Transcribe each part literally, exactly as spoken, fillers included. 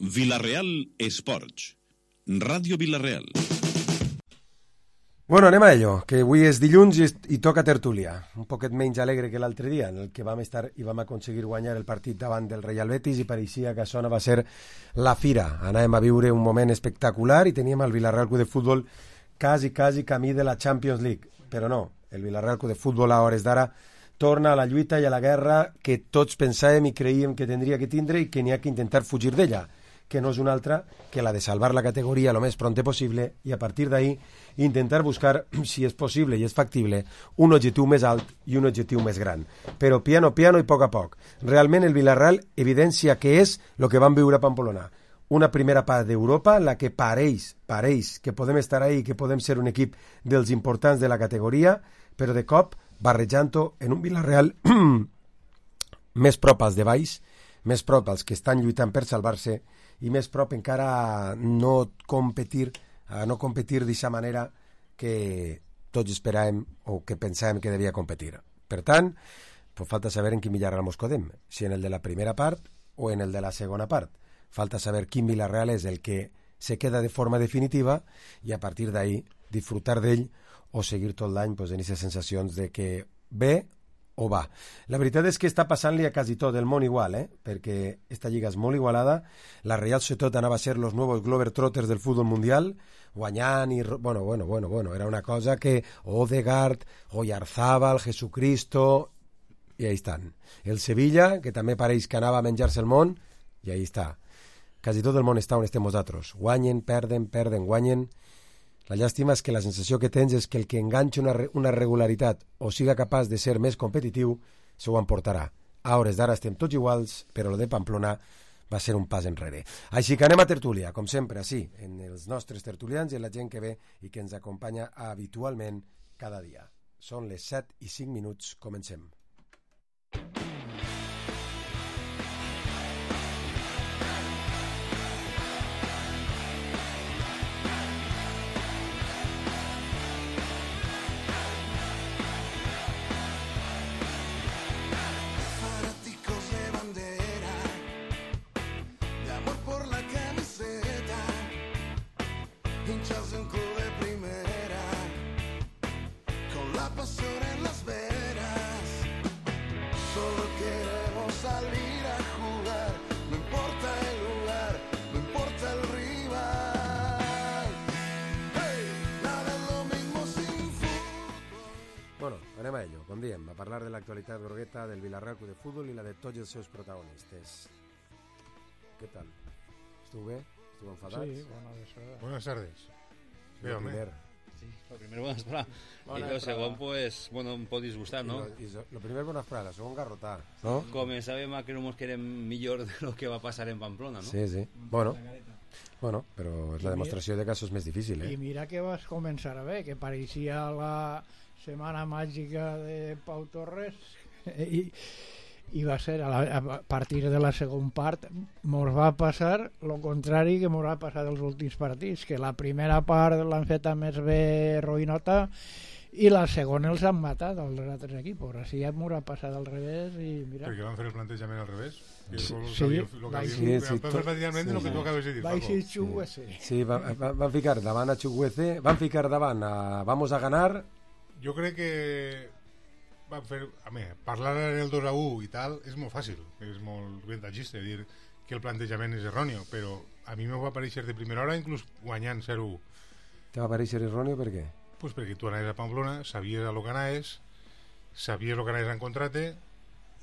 Vila-real Esports, Ràdio Vila-real. Bueno, anem a ello, que avui és dilluns i, i toca tertúlia. Un poquet menys alegre que l'altre dia, en el que vam estar i vam aconseguir guanyar el partit davant del Real Betis i pareixia que això no va ser la fira. Anàvem a viure un moment espectacular i teníem el Vila-real Club de Futbol quasi, quasi camí de la Champions League. Però no, el Vila-real Club de Futbol a hores d'ara torna a la lluita i a la guerra que tots pensàvem i creíem que tindria que tindre i que n'hi ha que intentar fugir d'ella, que no és una altra que la de salvar la categoria lo més pronte possible i a partir d'ahí intentar buscar, si és possible i és factible, un objectiu més alt i un objectiu més gran. Però piano, piano i poc a poc. Realment el Villarreal evidencia que és el que vam viure a Pamplona. Una primera part d'Europa en la que pareix, pareix que podem estar ahí, que podem ser un equip dels importants de la categoria, però de cop barrejant-ho en un Villarreal més prop als de baix, més prop als que estan lluitant per salvar-se i més prop encara no competir, a no competir d'aquesta manera que tots esperàvem o que pensàvem que devia competir. Per tant, pues falta saber en quin Villarreal mos codem, si en el de la primera part o en el de la segona part. Falta saber quin Villarreal és el que se queda de forma definitiva i a partir d'ahí disfrutar d'ell o seguir tot l'any pues, en aquestes sensacions de que ve o va. La veritat és que està passant-li a quasi tot el món igual, eh? Perquè esta lliga és molt igualada. La Real Societat anava a ser los nuevos Globetrotters del futbol mundial, guanyant i... Bueno, bueno, bueno, bueno, era una cosa que Odegaard, Oyarzábal, Jesucristo... I ahí estan. El Sevilla, que també pareix que anava a menjar-se el món, i ahí està. Quasi tot el món està on estem nosaltres. Guanyen, perden, perden, guanyen... La llàstima és que la sensació que tens és que el que enganxa una, una regularitat o siga capaç de ser més competitiu se ho emportarà. A hores d'ara estem tots iguals, però el de Pamplona va ser un pas enrere. Així que anem a tertúlia, com sempre, sí, en els nostres tertulians i en la gent que ve i que ens acompanya habitualment cada dia. Són les set i cinc minuts, comencem. Anem a ello, com diem, a parlar de l'actualitat grogueta del Villarreal Club de Futbol i la de tots els seus protagonistes. Què tal? Esteu bé? Esteu enfadats? Sí, bona vesprada. Buenas tardes. Lo primer. Sí, lo primero, buena esperada. Y lo segundo, pues, bueno, un poco disgustar, ¿no? Y lo, y lo primero, buena esperada, lo segundo, garrotar, ¿no? Començàvem que no ens quedem millor de lo que va passar en Pamplona, ¿no? Sí, sí. Bueno, bueno, però és la demostració de que això és més difícil, eh? I mira que vas començar a bé, que pareixia la setmana màgica de Pau Torres i, i va ser a, la, a partir de la segona part mos va passar el contrari que mos va passar dels últims partits, que la primera part l'han feta més bé roïnota i la segona els han matat els altres equips, així ja m'ho ha passat al revés i mira. Perquè van fer el plantejament al revés. Sí, sí, sí, sí, sí, pràcticament el que tu acabes de dir. Va ser Chuguese. Sí, van, van ficar davant a Chuguese, van ficar davant a vamos a ganar. Jo crec que van fer, a mi, parlar en el dos a u i tal és molt fàcil, és molt ventajista dir que el plantejament és erròneo, però a mi m'ho va aparèixer de primera hora inclús guanyant zero a u. Te va aparèixer erròneo per què? Pues perquè tu anaves a Pamplona, sabies a lo que anaves, sabies lo que anaves a encontrar-te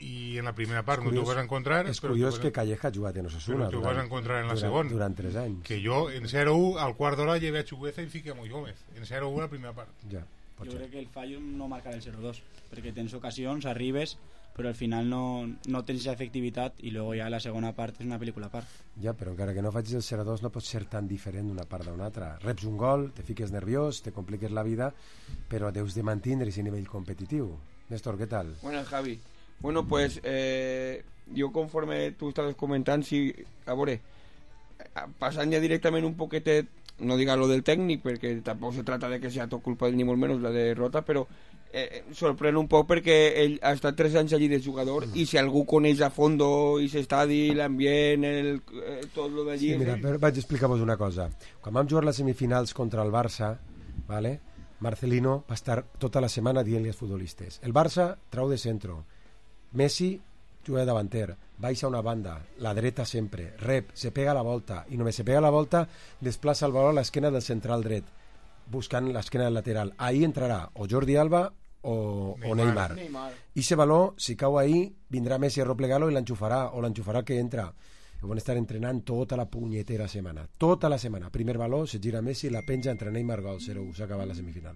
i en la primera part no t'ho vas a encontrar. És curiós que Calleja ha jugat en Osasuna. Però t'ho vas a encontrar en la segona. Durant tres anys. Que jo en zero a u al quart d'hora llevé a Chugueza i fiqué a Moy Gómez. En zero a u a la primera part. Ja. Jo crec que el fallo no marcar el zero dos, perquè tens ocasions, arribes, però al final no, no tens aquesta efectivitat i luego ja la segona part és una pel·lícula a part. Ja, però encara que no facis el zero dos no pot ser tan diferent d'una part d'una altra. Reps un gol, te fiques nerviós, te compliques la vida, però deus de mantindre ese nivell competitiu. Néstor, ¿qué tal? Buenas, Javi. Bueno, pues eh, yo conforme tú estabas comentando, sí, a veure, passant ja directament un poquetet, no diga lo del técnico, porque tampoco se trata de que sea todo culpa de ni molt menos la derrota, pero eh, sorprèn un poc perquè ell ha estat tres anys allí de jugador mm. i si algú coneix a fondo i s'estadi, l'ambient, el, eh, tot lo d'allí... Sí, mira, però vaig explicar-vos una cosa. Quan vam jugar les semifinals contra el Barça, ¿vale? Marcelino va estar tota la setmana dient-li als futbolistes: el Barça trau de centro, Messi juga de davanter, baixa una banda, la dreta sempre, rep, se pega a la volta, i només se pega a la volta, desplaça el valor a l'esquena del central dret, buscant l'esquena del lateral. Ahí entrarà o Jordi Alba o Neymar. O Neymar. Neymar. I ese valor, si cau ahí, vindrà Messi a replegar-lo i l'enxufarà, o l'enxufarà que entra. I van estar entrenant tota la punyetera setmana. Tota la setmana. Primer valor, se gira Messi, la penja, entre Neymar, gol, zero u, s'ha acabat la semifinal.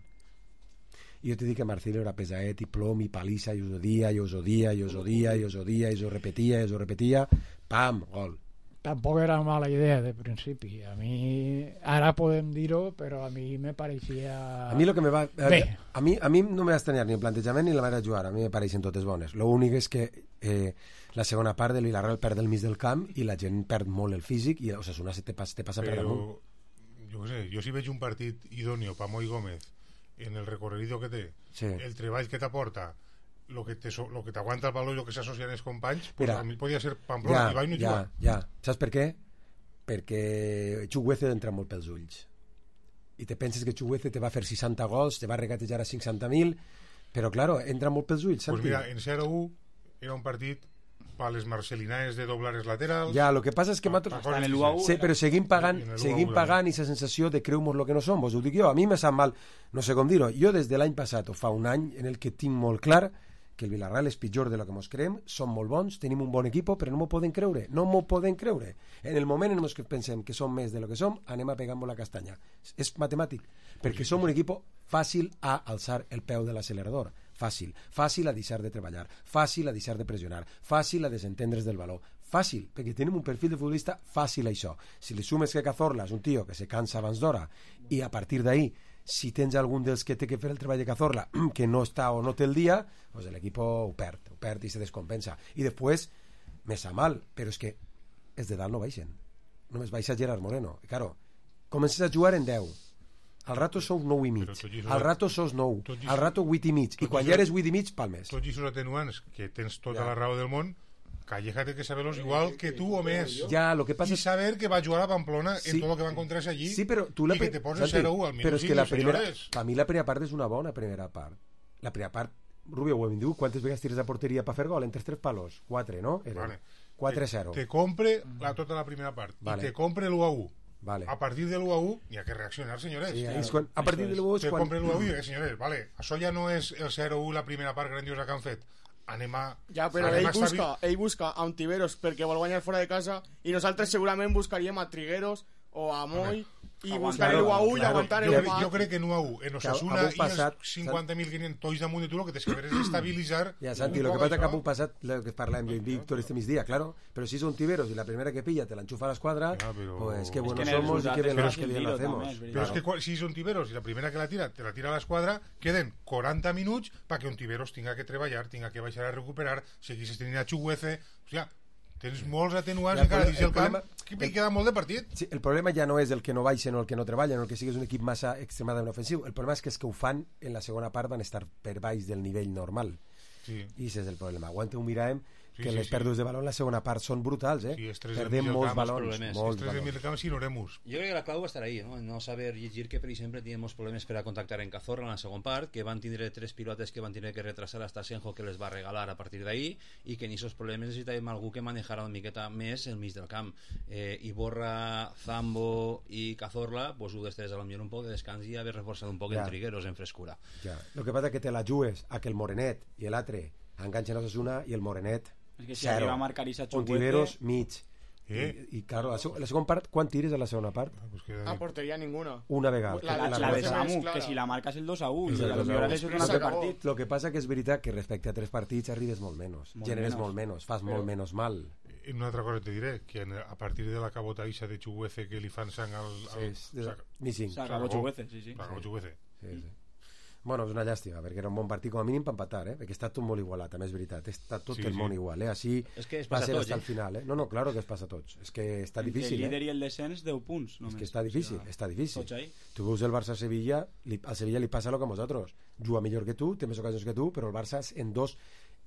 I jo te dic que Marcelo era pesaet i plom i palissa, i us ho dia, i us ho dia, i us ho dia, i us ho dia, i us ho repetia, i us ho repetia, pam, gol. Tampoc era mala idea de principi. A mi, ara podem dir-ho, però a mi me pareixia... A mi lo que me va... Bé. A mi, a mi no m'ha estranyat ni el plantejament ni la manera de jugar, a mi me pareixen totes bones. L'únic és que eh, la segona part de l'Villarreal perd el mig del camp i la gent perd molt el físic i Osasuna se te passa, te passa per damunt. Jo què sé, jo si veig un partit idòneo per Moi Gómez en el recorrido que té, sí. el treball que t'aporta, lo que te lo que t'aguanta el valor i lo que s'associa als companys, pues mira, a mi podia ser Pamplona, ja, i vaig no ja, jugar. Ja, saps per què? Perquè Chukwueze entra molt pels ulls i te penses que Chukwueze te va fer seixanta gols, te va regatejar a cinquanta mil, però claro, entra molt pels ulls, Santi. Pues mira, en zero u era un partit para les marcelinaes de doblar els laterals. Ja, lo que passa és que pa, pa, en el U A U, sí, però seguim pagant, seguim pagant i la sensació de creu-nos lo que no som, vos ho dic jo, a mi me sap mal, no sé com dir-ho, jo des de l'any passat o fa un any en el que tinc molt clar que el Villarreal és pitjor de lo que mos creem, som molt bons, tenim un bon equip, però no m'ho poden creure, no m'ho poden creure. En el moment en què pensem que som més de lo que som, anem a pegar-nos la castanya. És matemàtic, perquè som un equip fàcil a alçar el peu de l'accelerador, fàcil, fàcil a deixar de treballar, fàcil a deixar de pressionar, fàcil a desentendre's del valor, fàcil, perquè tenim un perfil de futbolista fàcil a això. Si li sumes que Cazorla és un tio que se cansa abans d'hora i a partir d'ahí si tens algun dels que té que fer el treball de Cazorla que no està o no té el dia, pues l'equip ho perd, ho perd i se descompensa. I després, més a mal, però és que els de dalt no baixen. Només baixa Gerard Moreno. I claro, comences a jugar en deu. Al rato sou nou i mig. Al rato sous nou. Al rato vuit i mig. I quan ja eres vuit i mig, palmes. Tots aquests atenuants, que tens tota la raó del món, Calleja té que saber-los igual que tu o més. Ja, lo que passa I saber que va jugar a Pamplona sí. en tot el que va encontrar-se allí sí, però tu la i que te poses zero u al minut. Però és que la primera, per mi la primera part és una bona primera part. La primera part, Rubio, ho hem dit, quantes vegades tires a porteria per fer gol? Entre tres palos? Quatre, no? Vale. quatre a zero. Te, te compre la, tota la primera part vale. I te compre l'u a u. Vale. A partir de l'u a u hi ha que reaccionar, senyores. Sí, és quan, a partir de l'u a u és te quan... compre l'u a u i dic, senyores, vale, això ja no és el zero u la primera part grandiosa que han fet. Anem a... Ja, però ell busca, ell busca a Ontiveros perquè vol guanyar fora de casa i nosaltres segurament buscaríem a Trigueros o a Moi i buscar l'u a u i aguantar el jo, jo crec que en u a u, en Osasuna i els cinquanta mil quinientos tois damunt de tu, el que tens que fer és estabilitzar. Ja, Santi, lo que passa que ha passat, lo que parlàvem jo i Víctor este migdia, claro, però si és Ontiveros i la primera que pilla te l'enxufa a l'esquadra, ja, però... pues que buenos somos y que bien que bien lo hacemos. Però és que si és Ontiveros i la primera que la tira te la tira a l'esquadra, queden quaranta minuts perquè Ontiveros tinga que treballar, tinga que baixar a recuperar, seguís tenint a Chukwueze, o sigui, tens molts atenuants encara dins el camp que el, queda molt de partit. Sí, el problema ja no és el que no baixen o el que no treballen o el que sigui és un equip massa extremadament ofensiu. El problema és que els que ho fan en la segona part van estar per baix del nivell normal. Sí. I aquest és el problema. Aguanta un miràvem sí, que sí, les sí. pèrdues de baló en la segona part són brutals, eh? Sí, perdem molts balons. Molts balons. Jo crec que la clau va estar ahí, no? No saber llegir que, per exemple, teníem molts problemes per a contactar en Cazorla en la segona part, que van tindre tres pilotes que van tindre que retrasar hasta Senjo que les va regalar a partir d'ahí i que en aquests problemes necessitàvem algú que manejara una miqueta més el mig del camp. Eh, Iborra, Zambo i Cazorla, pues ho després a lo millor un poc de descans i haver reforçat un poc ja. en Trigueros, en frescura. Ja. Lo que passa que te la jugues a que el Morenet i l'altre enganxen a Osasuna i el Morenet és que si zero. Arriba a marcar i Ontiveros mig eh? I, i claro, la, la segona part quan tires a la segona part? Ah, pues a porteria ninguna una vegada la, la, la, la de Samu, que si la marca és el dos a u lo que passa que és veritat que respecte a tres partits arribes molt menys, molt generes menos. molt menys fas però, molt menys mal. I una altra cosa te diré, que a partir de la cabota ixa de Chukwueze que li fan sang al... al sí, de, missing s'acabó Chukwueze, sí, sí. S'acabó Chukwueze. Sí, sí. Bueno, és una llàstima, perquè era un bon partit com a mínim per empatar, eh? Perquè està tot molt igualat, també és veritat. Està tot Sí, el sí. món igual, eh? Així És que es va passa ser a tots, hasta eh? el final, eh? No, no, claro que es passa a tots. És que està difícil, el líder eh? i el descens, deu punts només. És que està difícil, O sigui, està difícil. tots ahí. Tu veus el Barça-Sevilla, li- al Sevilla li passa el que a nosaltres. Juga millor que tu, té més ocasions que tu, però el Barça en dos...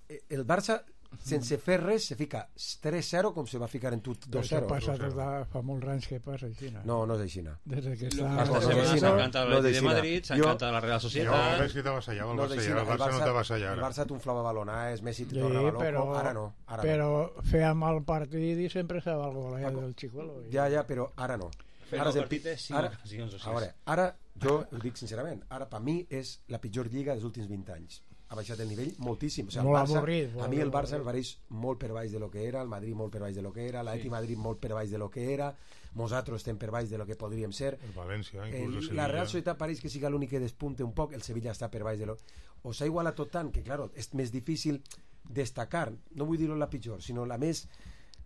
eh, El Barça, sense fer res, se fica tres zero com se va ficar en tu dos Això zero. passa tot a, fa molts anys que passa així. No? No, no és així, no. Des de que Lo- està... no, Esta no, setmana no, s'ha no, encantat no el Betis de deixina. Madrid, s'ha Jo- encantat la Real Jo Societat. veig que t'avasallava el No Barça, deixina. ja el Barça no t'avasalla el ara. Barça t'unflava balonades, Messi te Sí, tornava loco, però, ara no. Ara però feia mal partit i sempre estava el gol eh, Paco, del Chicuelo. no. Ja, ja, però ara no. Fent Ara el és el partit pi- és cinc ara, ocasions o sis. a veure, ara, jo ho dic sincerament, ara per mi és la pitjor lliga dels últims vint anys. Ha baixat el nivell moltíssim. O sigui, el Molt Barça, avorrit, a molt mi el Barça avorrit. em pareix molt per baix de lo que era, el Madrid molt per baix de lo que era, l'Atleti Madrid molt per baix de lo que era, nosaltres estem per baix de lo que podríem ser. El València, El, inclús el Sevilla. la Real Societat pareix que siga l'únic que despunte un poc, el Sevilla està per baix de lo... O s'ha igualat tot tant que, claro, és més difícil destacar, no vull dir-ho la pitjor, sinó la més,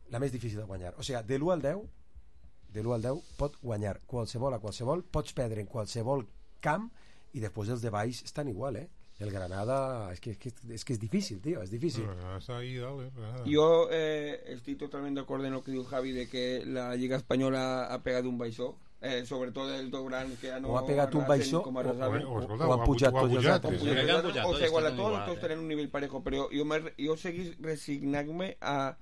la més difícil de guanyar. O sigui, de l'u al deu, de l'u al deu pot guanyar qualsevol a qualsevol, pots perdre en qualsevol camp i després els de baix estan igual, eh? El Granada, és que, és que, és que és difícil, tio, és difícil. Granada está ahí, dale, Granada. Yo eh, estoy totalmente de acuerdo en lo que dijo Javi de que la Liga Española ha pegado un baixó, eh, sobre todo el dos gran que ya no O ha pegat un arrasen baixó, como o- arrasaven. o- o escolta, o han o ha pujat pu- o ha tots els pujat, altres. sí. Crec que han pujat, o tots sea, igual a estan todos, igual, todos eh. tenen un nivell parejo, però jo, me, jo seguís resignant-me a,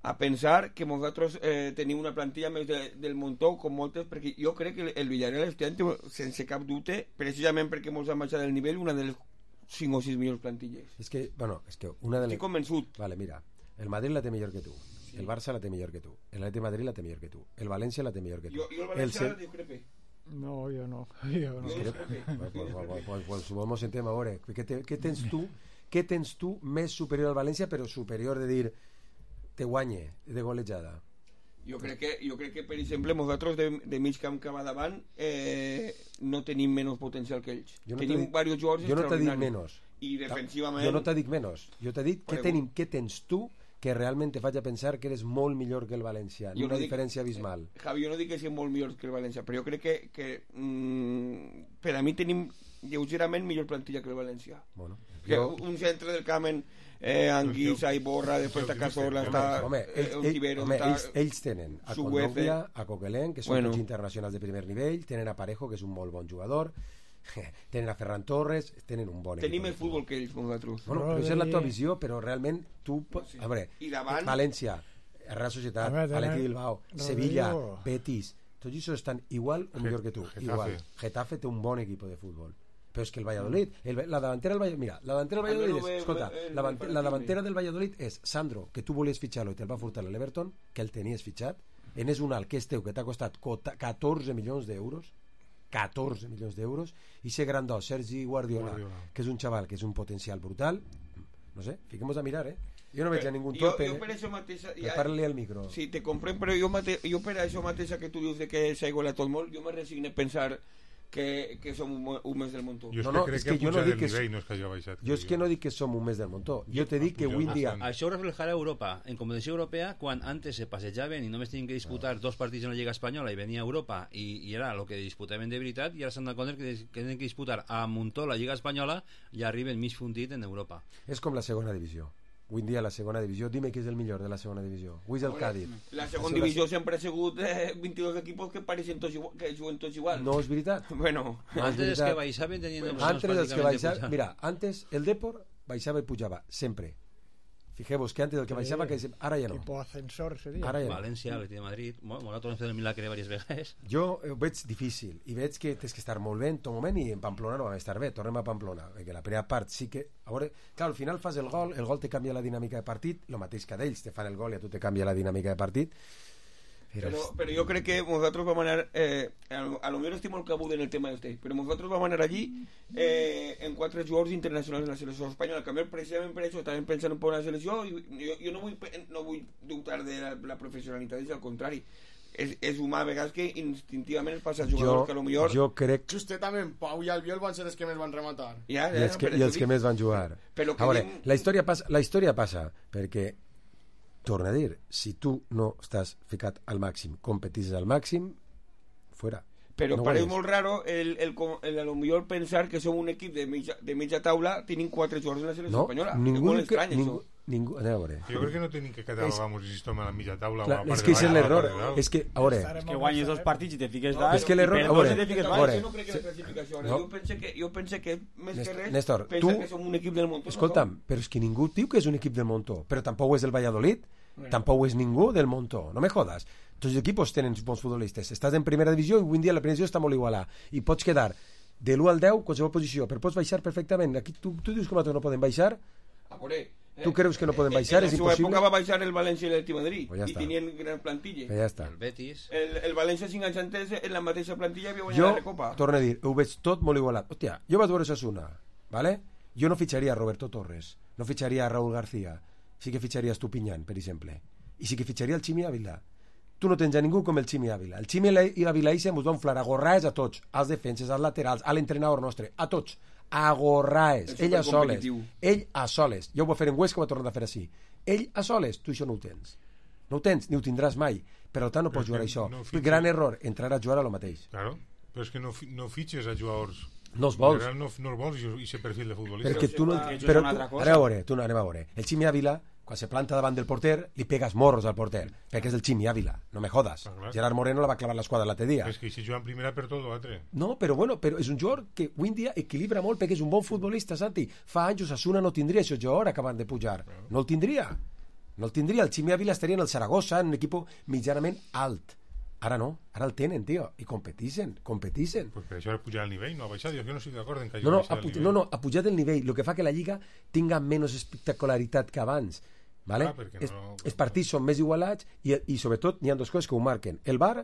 a pensar que vosaltres eh, teniu una plantilla més de, del muntó com moltes, perquè jo crec que el Villarreal este any té, sense cap dubte, precisament perquè molts han baixat el nivell, una de les cinc o sis millors plantilles. És que, bueno, és que una de les... Estic convençut. Vale, mira, el Madrid la té millor que tu, sí. El Barça la té millor que tu, el Atleti de Madrid la té millor que tu, el València la té millor que tu. Jo, jo el el València Ce- discrepe. No, jo no. Jo no. Jo Crec- discrepe. Pues, pues, pues, pues, pues, pues, sentem a veure, què, te, què tens tu què tens tu més superior al València, però superior de dir te guanye de golejada? Jo crec que, jo crec que per exemple, nosaltres de, de mig camp que va davant eh, no tenim menys potencial que ells. Jo no tenim t'he dit- diversos jugadors jo no t'he dit extraordinaris. menys. I defensivament... Jo no t'he dit menys, jo t'he dit què, Prego. tenim, què tens tu que realment te faig a pensar que eres molt millor que el València, Jo una no dic- diferència abismal. Javi, jo no dic que siguin molt millors que el València, però jo crec que, que mm, per a mi tenim lleugerament millor plantilla que el València. Bueno, Que jo, un centre del camp en eh, Anguissa i Borra, després està Cazorla, Home, està home, eh, ells, ells, Ontiveros, home està... ells, ells tenen a Suguece. Condovia, a Coquelin, que són Bueno. tots internacionals de primer nivell, tenen a Parejo, que és un molt bon jugador, tenen a Ferran Torres, tenen un bon Tenim equip el de futbol que ells, nosaltres. Bueno, però això és la tua visió, però realment tu... pots- A veure, I davant- València, Real Societat, A veure, tenen- Atleti Bilbao, Rodrigo. Sevilla, Betis, tots ells estan igual o millor que tu. Getafe. Igual. Getafe té un bon equip de futbol. Però és que el Valladolid, el, la davantera del Valladolid, mira, la davantera del A mi Valladolid no és, ve- escolta, ve- la, ve davant- per la aquí, davantera del Valladolid és Sandro, que tu volies fitxar-lo i te'l va furtar a l'Everton, que el tenies fitxat, en és un alt que és teu, que t'ha costat cota- catorze milions d'euros, catorze milions d'euros, i ser grandó, Sergi Guardiola, Guardiola. que és un xaval que és un potencial brutal, no sé, fiquem-nos a mirar, eh? Jo no veig a ningú jo, torpe, jo per això mateixa... eh? Parla-li al micro. Sí, te comprem, però jo, mate, jo per això mateixa que tu dius de que s'ha igualat tot molt, jo me resigné a pensar que, que som un, un mes del muntó. Jo és No, que no, crec és que, que jo ha no pujat dic el que és- nivell, no és que hagi baixat. Jo és que no dic que som un mes del montó, jo te dic que avui en dia... Això ho reflejarà Europa. En competició europea, quan antes se passejaven i només tenien que disputar dos partits en la Lliga Espanyola i venia Europa i, i era el que disputaven de veritat, i ara s'han de compte que, que tenen que disputar a muntó la Lliga Espanyola i arriben mig fundit en Europa. És com la segona divisió. Avui en dia la segona divisió, dime qui és el millor de la segona divisió. Avui és el Cádiz. La segona divisió sempre ha sigut eh, vint-i-dos equipos que pareixen tots igual, que juguen tots igual. No és veritat? Bueno, No, és Antes els veritat. que baixaven tenien opcions Antes els que pràcticament de baixaven... pujar. Mira, antes el Depor baixava i pujava, sempre. Fijeu-vos que antes el que baixava, que ara ja no. Tipo ascensor seria. Ara ja no. València, Atleti de Madrid, bueno, nosaltres hem fet el milagre diverses vegades. Jo ho veig difícil i veig que tens que estar molt bé en tot moment, i en Pamplona no vam estar bé. Tornem a Pamplona, perquè la primera part sí que... A veure, clar, al final fas el gol, el gol te canvia la dinàmica de partit, el mateix que d'ells, te fan el gol i a tu te canvia la dinàmica de partit. Però, però, però jo crec que nosaltres vam anar eh, a, lo- a lo millor estic molt cabut en el tema este, però nosaltres vam anar allí eh, en quatre jugadors internacionals de la selecció espanyola, que a mi precisament per això estàvem pensant en una selecció i jo, jo no, vull, pe- no vull dubtar de la, la professionalitat, és al contrari, és, és humà a vegades que instintivament es passa a jugadors jo, que a lo millor jo crec... Justament, Pau i Albiol van ser els que més van rematar. ja, I els que, i els que més van jugar. Però que A veure, dic- la història passa, la història passa perquè, torna a dir, si tu no estàs ficat al màxim, competis al màxim, fuera. però No pareix ho és. molt raro el, el, el, el, a lo millor pensar que som un equip de mitja, de mitja taula tenint quatre jugadors en la selecció No, espanyola. ningú... És molt estrany, que, ningú, això. ningú, anem a veure. Jo crec que no tenim que catalogar si estem a la mitja taula Clar, o a la part és que de és baix, l'error. a la part de dalt. És que, a veure, Estarem Que amb guanyes el dos Sareb. partits i te fiques No, dalt, és que l'error- i a per veure, dos i te fiques No, a dalt. veure, jo no crec que la classificació. no. Jo penso que, jo penso que més que res Néstor, pensa tu- que som un equip del Montó. escolta'm, però és que ningú diu que és un equip del Montó, però tampoc ho és el Valladolid, tampoc ho és ningú del Montó, no me jodas. Tots els equipos tenen bons futbolistes. Estàs en primera divisió i avui en dia la primera divisió està molt igualada i pots quedar de l'u al deu qualsevol posició, però pots baixar perfectament. Aquí tu, tu dius que nosaltres no podem baixar? A por eh. Tu creus que no poden baixar? En És la seva impossible? època va baixar el València i l'Atlètic de Madrid Pues ja i està. tenien gran plantilla. Que ja està. El Betis. El, el València cinc anys antes en la mateixa plantilla havia guanyat Jo, la Recopa. torno a dir, ho veig tot molt igualat. Hòstia, jo vaig veure Osasuna, ¿vale? Jo no fitxaria a Roberto Torres, no fitxaria a Raúl García, sí que fitxaria a Estupiñán, per exemple, i sí que fitxaria el Ximi Ávila. Tu no tens a ningú com el Ximi Ávila. El Ximi Ávila i se mos va inflar a gorraes a tots, als defenses, als laterals, a l'entrenador nostre, a tots, a gorraes, És ell a soles, supercompetitiu. ell a soles. Jo ho va fer en Huesca, ho va tornar a fer així. Ell a soles, tu això no ho tens. No ho tens, ni ho tindràs mai. Per tant, no Però pots jugar a és que això. no fitxes- Gran error, entrar a jugar a lo mateix. Claro, però és que no, fi- no fitxes a jugadors. No els vols. En general no, no els vols i aquest perfil de futbolista. Perquè tu no... que això Però és una tu, altra cosa. ara a veure, tu no, anem a veure. El Ximi Ávila, quan se planta davant del porter, li pegas morros al porter, perquè és el Ximi Ávila, no me jodas. Ah, clar. Gerard Moreno la va clavar l'esquadra l'altre dia. És que si juga en primera per tot l'altre. No, però bueno, però és un jugador que avui en dia equilibra molt perquè és un bon futbolista, Santi. Fa anys Osasuna no tindria això jugador acabant de pujar. No el tindria. No el tindria. El Ximi Ávila estaria en el Zaragoza, en un equip mitjanament alt. Ara no, ara el tenen, tio, i competixen, competixen. Pues per això ha pujat el nivell, no ha baixat. Jo que no estic d'acord en que hagi No, no, baixat ha, el puj- nivell. no, no, ha pujat el nivell, el que fa que la Lliga tinga menys espectacularitat que abans. ¿Vale? Ah, perquè es, no- els partits són més igualats i, i sobretot n'hi ha dues coses que ho marquen. El VAR,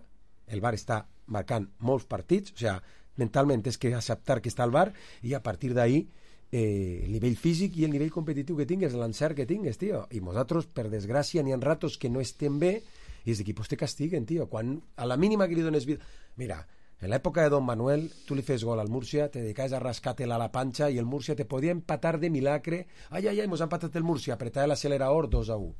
el VAR està marcant molts partits, o sigui, mentalment és que acceptar que està el VAR i a partir d'ahí eh, el nivell físic i el nivell competitiu que tingues, l'encert que tingues, tio. I nosaltres, per desgràcia, n'hi ha ratos que no estem bé i els equipos te castiguen, tio. Quan a la mínima que li dones vida... Mira, en l'època de Don Manuel, tu li fes gol al Múrcia, te dedicaves a rascar-te-la a la panxa i el Múrcia te podia empatar de milagre. Ai, ai, ai, mos ha empatat el Múrcia, apretava l'acelerador dos a u.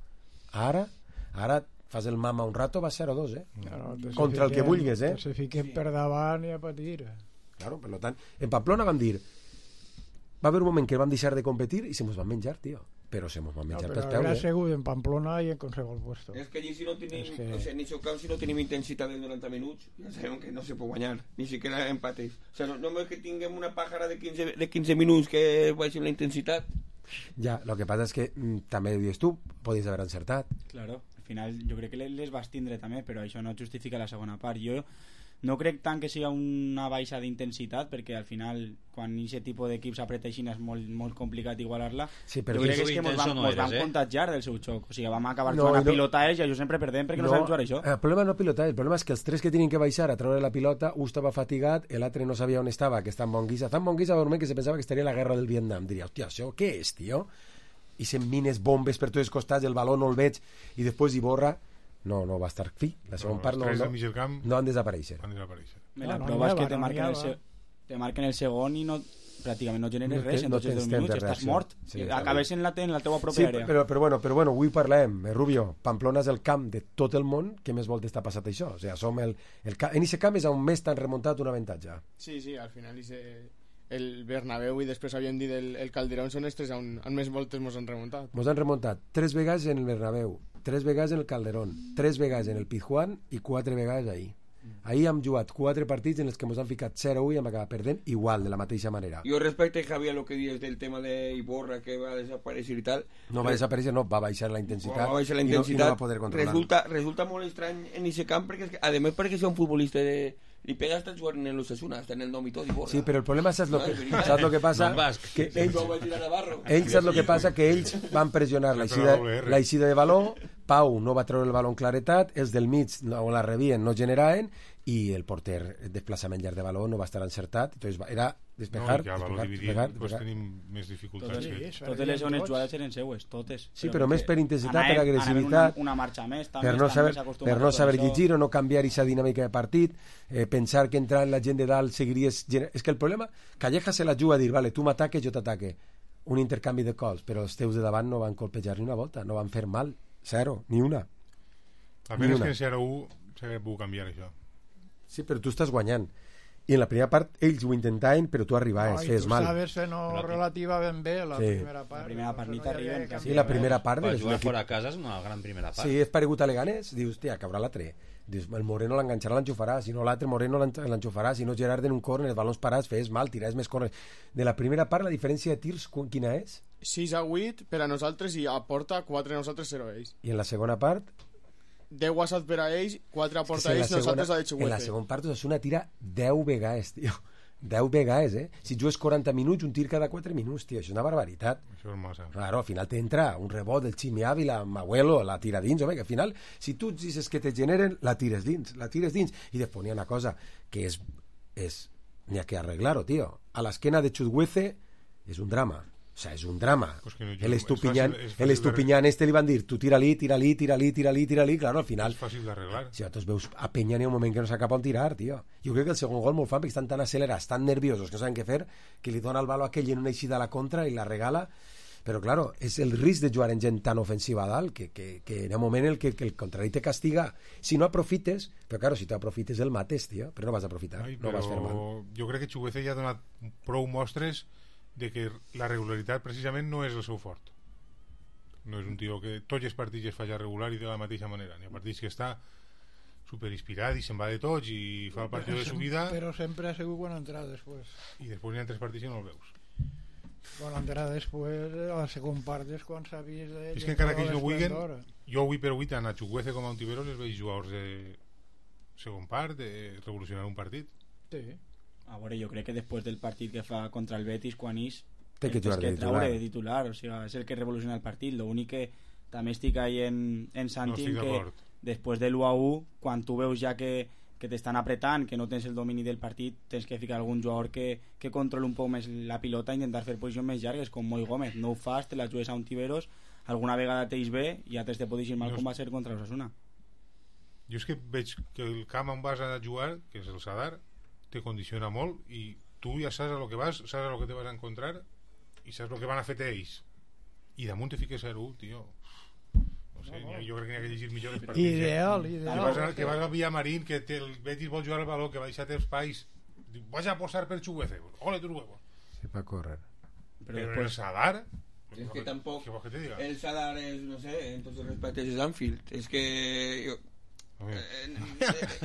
Ara, ara fas el mama un rato, va zero a dos, eh? Claro, te se Contra el que fiquen- vulguis, eh? te Se fiquen per davant i a patir. Claro, per tant, en Pamplona van dir va haver un moment que vam deixar de competir i se mos van menjar, tio. Però se mos van No, menjar pero pels habrá peus, eh? seguido en Pamplona y en consejo el puesto. És que allí si no tenim, És que- o sigui, en aquest camp si no tenim intensitat de noranta minuts, ja sabem que no se pot guanyar, ni siquiera empates. O sigui, no, només que tinguem una pàjara de quinze, de quinze minuts que baixi la intensitat. Ja, el que passa és que mm, també ho dius tu, podies haver encertat. Claro, al final jo crec que le- les vas tindre també, però això no justifica la segona part. Jo no crec tant que sigui una baixa d'intensitat, perquè al final quan aquest tipus d'equips apreta així és molt, molt complicat igualar-la. Sí, però jo crec tu que és que mos intenso van, no mos eres, van eh? contagiar del seu xoc. O sigui, vam acabar No, jugant i a no- pilota ells i jo sempre perdem perquè no, no sabem jugar això. El problema no pilota, el problema és que els tres que tenien que baixar a treure la pilota, un estava fatigat, l'altre no sabia on estava, que està en bon guisa. Està en bon guisa, que se pensava que estaria a la guerra del Vietnam. Diria, hòstia, això què és, tio? I se'n mines bombes per tots els costats, el baló no el veig, i després Iborra, no, no va estar fi. La segona No, part els no, tres no, del mig del camp no han desaparèixer. van desaparèixer. Me No, la no prova és n'hi que ha, te no marquen, n'hi el ha. se... te marquen el segon i no, pràcticament no generes No res te- en no tots els tens dos temps minuts, de estàs reacció. mort. Sí, I està acabes en la, en la teua Sí, pròpia àrea. però, però, bueno, però bueno, avui parlem, eh, Rubio, Pamplona és el camp de tot el món que més voltes t'ha passat això. O sigui, som el, el, ca- en aquest camp és on més t'han remuntat un avantatge. Sí, sí, al final ese, el Bernabéu i després havíem dit el, el Calderón són els tres on, on més voltes mos han remuntat. Mos han remuntat tres vegades en el Bernabéu, tres vegades en el Calderón, tres vegades en el Pizjuán i quatre vegades ahir. Ahir hem jugat quatre partits en els que mos han ficat zero a u i hem acabat perdent igual, de la mateixa manera. Jo respecte, Javier, lo que dius del tema de Iborra, que va desaparèixer i tal. No va desaparèixer, no, va baixar la intensitat, Va baixar la i, no, i intensitat. no va poder controlar. resulta, resulta molt estrany en aquest camp, perquè, és que, a més, perquè sea un futbolista de... Li pega hasta jugant en l'Osasuna, hasta en el nom i tot, Iborra. Sí, però el problema saps lo que, No, és veritat. saps lo que passa? No, basc. Que Ells, ells, no va girar a Navarro. ells saps el que passa? Que ells van pressionar La l'eixida doble R. l'eixida de baló, Pau no va treure el baló en claretat, els del mig no la rebien, no generaven, i el porter, el desplaçament llarg de baló no va estar encertat, entonces va, era despejar, no, i que a valor despejar, dividit despejar, pues, despejar. tenim més dificultats. Totes, que... Sí, totes les segones jugades eren seues, totes. Sí, però més perquè per intensitat, anaven- per agressivitat, anaven una, una marxa més, també, per no estan saber, més acostumats per a no tot saber això. llegir o no canviar aquesta dinàmica de partit, eh, pensar que entrant la gent de dalt seguiries... gener- És que el problema, Calleja se la juga a dir, vale, tu m'ataques, jo t'ataque. Un intercanvi de cols, però els teus de davant no van colpejar ni una volta, no van fer mal, zero, ni una. A Ni menys una. que en zero a u s'ha pogut canviar això. Sí, però tu estàs guanyant. I en la primera part ells ho intentaven, però tu arribaves, no, fes mal. I tu sabes que no relativa ben bé la sí. primera part. La primera part ni t'arriben. No sí, la primera part... Per jugar fora a casa és una gran primera part. Sí, és paregut a Leganés, dius, tia, cabrà l'altre. Dius, el Moreno l'enganxarà, l'enxufarà, si no l'altre Moreno l'enxufarà, si no Gerard en un córner, els balons parats, fes mal, tiràs més córners. De la primera part, la diferència de tirs, quina és? sis a vuit per a nosaltres i a porta quatre a nosaltres, zero a ells. I en la segona part... deu a set per a ells, quatre a porta a ells, nosaltres a de Chuguete. En la segona part, Osasuna tira deu vegades, tio. deu vegades, eh? Si jugues quaranta minuts, un tir cada quatre minuts, tio, això és una barbaritat. Això és massa. Claro, al final t'entra un rebot del Ximi Ávila, Mahuelo, la tira dins, home, que al final, si tu dices que te generen, la tires dins, la tires dins. I després n'hi ha una cosa que és... és n'hi ha que arreglar-ho, tio. A l'esquena de Chuguete és un drama. O sea, és un drama. Pues que no, el Estupiñán, fàcil, el Estupiñán este li van dir, tu tira-li, tira-li, tira-li, tira-li, tira-li, claro, al final... És fàcil d'arreglar. Si vosaltres veus a Peña n'hi ha un moment que no sap cap on tirar, tio. Jo crec que el segon gol molt fan perquè estan tan acelerats, tan nerviosos, que no saben què fer, que li dona el balo a aquell en una eixida a la contra i la regala. Però, claro, és el risc de jugar en gent tan ofensiva a dalt que, que, que hi ha un moment en què que el contrari te castiga. Si no aprofites, però, claro, si tu aprofites el mates, tio, però no vas aprofitar, Ai, no vas fer mal. Jo crec que Chuguete ja ha donat prou mostres de que la regularitat precisament no és el seu fort. No és un tio que tots els partits es faci regular i de la mateixa manera. N'hi ha partits que està superinspirat i se'n va de tots i fa el partit de subida, però sempre ha sigut quan entrar després. I després n'hi ha tres partits i no el veus. Quan entrar després, a la segona part és quan s'ha vist... De, és que encara que ells no vulguin, jo avui per avui tant a Chuguete com a Ontiveros els veig jugadors de segon part, de revolucionar un partit. Sí. A veure, jo crec que després del partit que fa contra el Betis, quan és té que jugar de titular. de titular, o sigui, és el que revoluciona el partit. L'únic que també estic ahí en, en Santin, no que després de l'u a u, quan tu veus ja que, que t'estan apretant, que no tens el domini del partit, tens que ficar algun jugador que, que controli un poc més la pilota i intentar fer posicions més llargues, com Moi Gómez. No ho fas, te la jugues a un Tiberos, alguna vegada t'eix bé i altres te pot dir mal, com va ser contra l'Osasuna. Jo és que veig que el camp on vas a jugar, que és el Sadar, te condiciona molt i tu ja saps a lo que vas, saps a lo que te vas a encontrar i saps lo que van a fer ells i damunt te fiques zero u, tio. No sé, no, no. Jo crec que n'hi ha que llegir millor els partits. Ideal, eh? ideal. Que vas, a, que vas al Villamarín, que te, el Betis vol jugar al baló, que va deixar els pais, vas a posar per Chuguete, ole tus huevos. Sí, va córrer. Però, Però el Sadar... Es que tampoc que te diga? El Sadar és, no sé, en tots els respectes és Anfield. És que... Jo...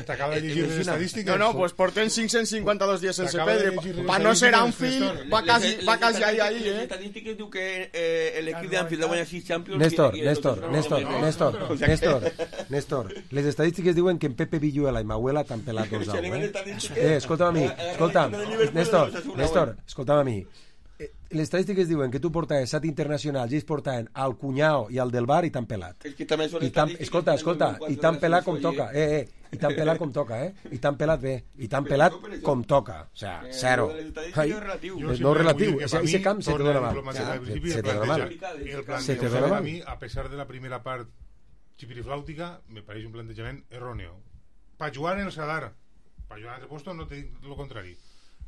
T'acaba de llegir les estadístiques. No, no, pues porten cinc-cents cinquanta-dos dies sense perdre. Pa no ser Anfield, va quasi, va quasi ahí, ahí, eh? Les estadístiques diu que eh, l'equip d'Anfield ha guanyat sis Champions. Néstor, Néstor, Néstor, Néstor, Néstor, Néstor. Les estadístiques diuen que en Pepe Villuela i Mahuela t'han pelat dos a u, eh? Eh, escolta'm a mi, escolta'm, Néstor, Néstor, escolta'm a mi. Les estadístiques diuen que tu portaves set internacionals i ells portaven al Cunyao i al del Bar i t'han pelat. És que també són I escolta, escolta, i t'han pelat com toca, eh, eh, i t'han pelat com toca, eh, i t'han pelat bé, i t'han pelat com toca, o sea, zero. Ai, no relatiu, ese camp se te dona mal. Se te dona mal. El plantejament a mi, a pesar de la primera part xipiriflàutica, me pareix un plantejament erróneo. Pa jugar en el Sadar, pa jugar en el puesto no te dic lo contrari.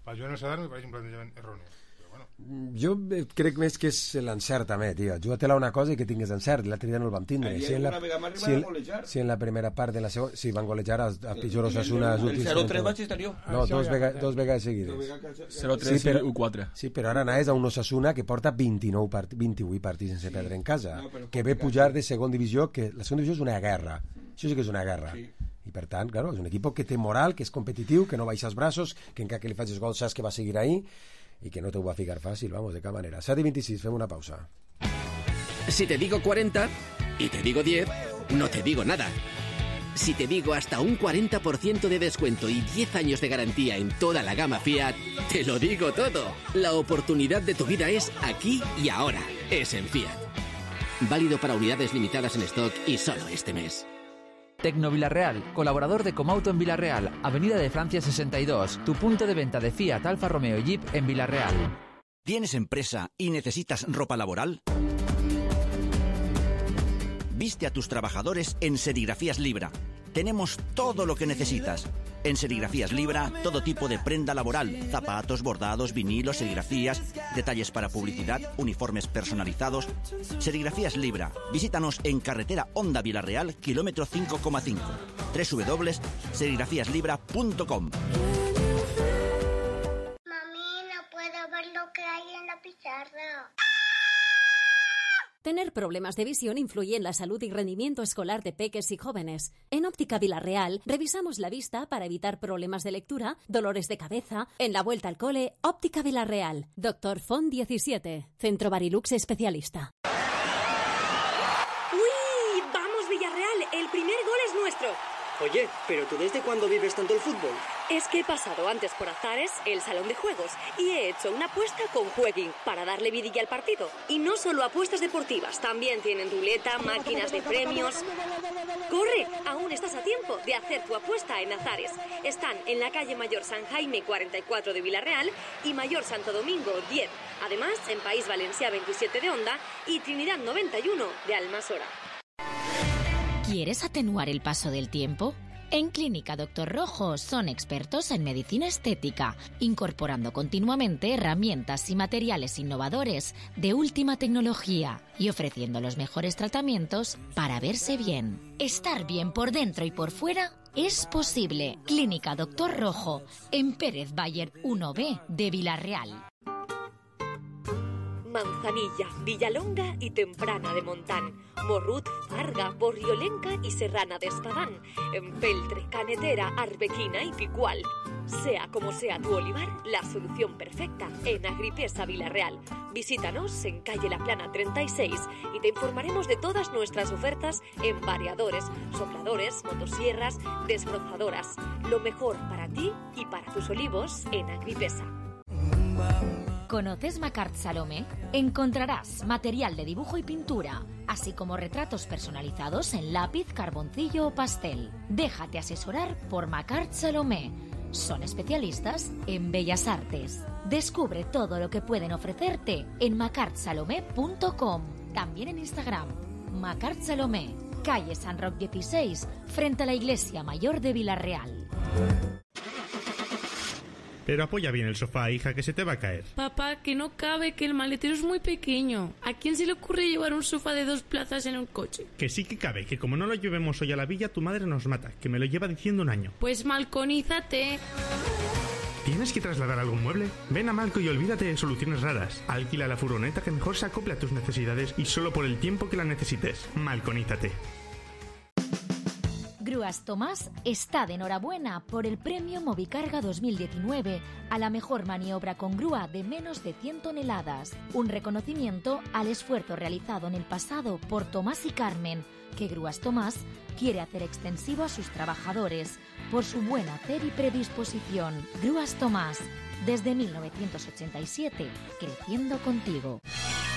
Pa jugar en el Sadar me pareix un plantejament erróneo. Jo crec més que és l'encert també, tio. Juga-te-la una cosa i que tingues encert. L'altre dia no el vam tindre. Si en la, si en, si en la primera part de la segona... Sí, van golejar a, a pitjor Osasuna. El zero tres vaig estar jo. No, dos, vega, dos vegades seguides. zero tres sí, i u quatre. Sí, però ara anaves a un Osasuna que porta vint-i-nou part, vint-i-vuit partits sense perdre en casa. Que ve pujar de segona divisió, que la segona divisió és una guerra. Això sí que és una guerra. I per tant, claro, és un equip que té moral, que és competitiu, que no baixa els braços, que encara que li facis gol saps que va seguir ahí y que no te va a ficar fácil, vamos, de cada manera. set y veintiséis, fem una pausa. Si te digo cuarenta y te digo diez, no te digo nada. Si te digo hasta un cuarenta por ciento de descuento y diez años de garantía en toda la gama Fiat, te lo digo todo. La oportunidad de tu vida es aquí y ahora. Es en Fiat. Válido para unidades limitadas en stock y solo este mes. Tecno Villarreal, colaborador de Comauto en Villarreal, Avenida de Francia sesenta y dos, tu punto de venta de Fiat, Alfa Romeo y Jeep en Villarreal. ¿Tienes empresa y necesitas ropa laboral? Viste a tus trabajadores en Serigrafías Libra. Tenemos todo lo que necesitas. En Serigrafías Libra, todo tipo de prenda laboral, zapatos, bordados, vinilos, serigrafías, detalles para publicidad, uniformes personalizados. Serigrafías Libra. Visítanos en carretera Honda Villarreal, kilómetro cinco coma cinco. doble u doble u doble u punto serigrafías libra punto com. Mami, no puedo ver lo que hay en la pizarra. Tener problemas de visión influye en la salud y rendimiento escolar de peques y jóvenes. En Óptica Vilarreal revisamos la vista para evitar problemas de lectura, dolores de cabeza. En la vuelta al cole, Óptica Vilarreal. Doctor Font diecisiete. Centro Barilux especialista. ¡Uy! ¡Vamos, Villarreal! El primer gol es nuestro. Oye, ¿pero tú desde cuándo vives tanto el fútbol? Es que he pasado antes por Azares, el salón de juegos, y he hecho una apuesta con Jueguin para darle vidilla al partido. Y no solo apuestas deportivas, también tienen ruleta, máquinas de premios. ¡Corre! Aún estás a tiempo de hacer tu apuesta en Azares. Están en la calle Mayor San Jaime cuarenta y cuatro de Vilarreal y Mayor Santo Domingo diez. Además, en País Valencià veintisiete de Onda y Trinidad noventa y uno de Almasora. ¿Quieres atenuar el paso del tiempo? En Clínica Doctor Rojo son expertos en medicina estética, incorporando continuamente herramientas y materiales innovadores de última tecnología y ofreciendo los mejores tratamientos para verse bien. Estar bien por dentro y por fuera es posible. Clínica Doctor Rojo, en Pérez Bayer uno B de Vilarreal. Manzanilla, Villalonga y Temprana de Montán, Morrut, Farga, Borriolenca y Serrana de Espadán, Empeltre, Canetera, Arbequina y Picual. Sea como sea tu olivar, la solución perfecta en Agripesa Vilarreal. Visítanos en calle La Plana treinta y seis y te informaremos de todas nuestras ofertas en variadores, sopladores, motosierras, desbrozadoras. Lo mejor para ti y para tus olivos en Agripesa. ¿Conoces Macart Salomé? Encontrarás material de dibujo y pintura, así como retratos personalizados en lápiz, carboncillo o pastel. Déjate asesorar por Macart Salomé. Son especialistas en bellas artes. Descubre todo lo que pueden ofrecerte en macart salomé punto com. También en Instagram, Macart Salomé, calle San Roc dieciséis, frente a la Iglesia Mayor de Vilarreal. Pero apoya bien el sofá, hija, que se te va a caer. Papá, que no cabe, que el maletero es muy pequeño. ¿A quién se le ocurre llevar un sofá de dos plazas en un coche? Que sí que cabe, que como no lo llevemos hoy a la villa, tu madre nos mata, que me lo lleva diciendo un año. Pues malconízate. ¿Tienes que trasladar algún mueble? Ven a Malco y olvídate de soluciones raras. Alquila la furgoneta que mejor se acople a tus necesidades y solo por el tiempo que la necesites. Malconízate. Grúas Tomás está de enhorabuena por el premio Movicarga dos mil diecinueve a la mejor maniobra con grúa de menos de cien toneladas. Un reconocimiento al esfuerzo realizado en el pasado por Tomás y Carmen, que Grúas Tomás quiere hacer extensivo a sus trabajadores por su buen hacer y predisposición. Grúas Tomás, desde mil novecientos ochenta y siete, creciendo contigo.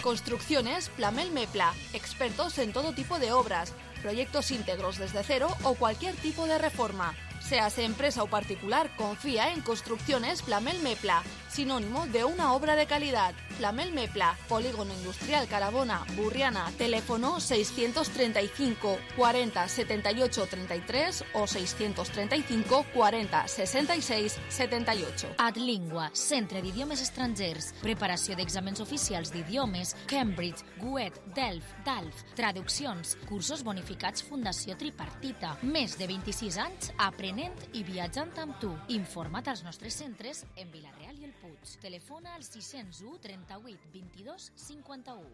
Construcciones Plamel Mepla, expertos en todo tipo de obras, proyectos íntegros desde cero o cualquier tipo de reforma. Seas empresa o particular, confía en Construcciones Plamel Mepla, sinónimo de una obra de calidad. Plamel Mepla, Polígono Industrial Carabona, Burriana, teléfono seiscientos treinta y cinco cuarenta setenta y ocho treinta y tres o seiscientos treinta y cinco cuarenta sesenta y seis setenta y ocho. Adlingua, Centre d'Idiomes Estrangers, preparació d'exàmens oficials d'idiomes, Cambridge, Goethe, Delft, Dalf, traduccions, cursos bonificats Fundació Tripartita. Més de vint-i-sis anys aprenent i viatjant amb tu. Informa't als nostres centres en Vilarreal i el Puig. Telefona al sis zero u trenta-vuit vint-i-dos cinquanta-u.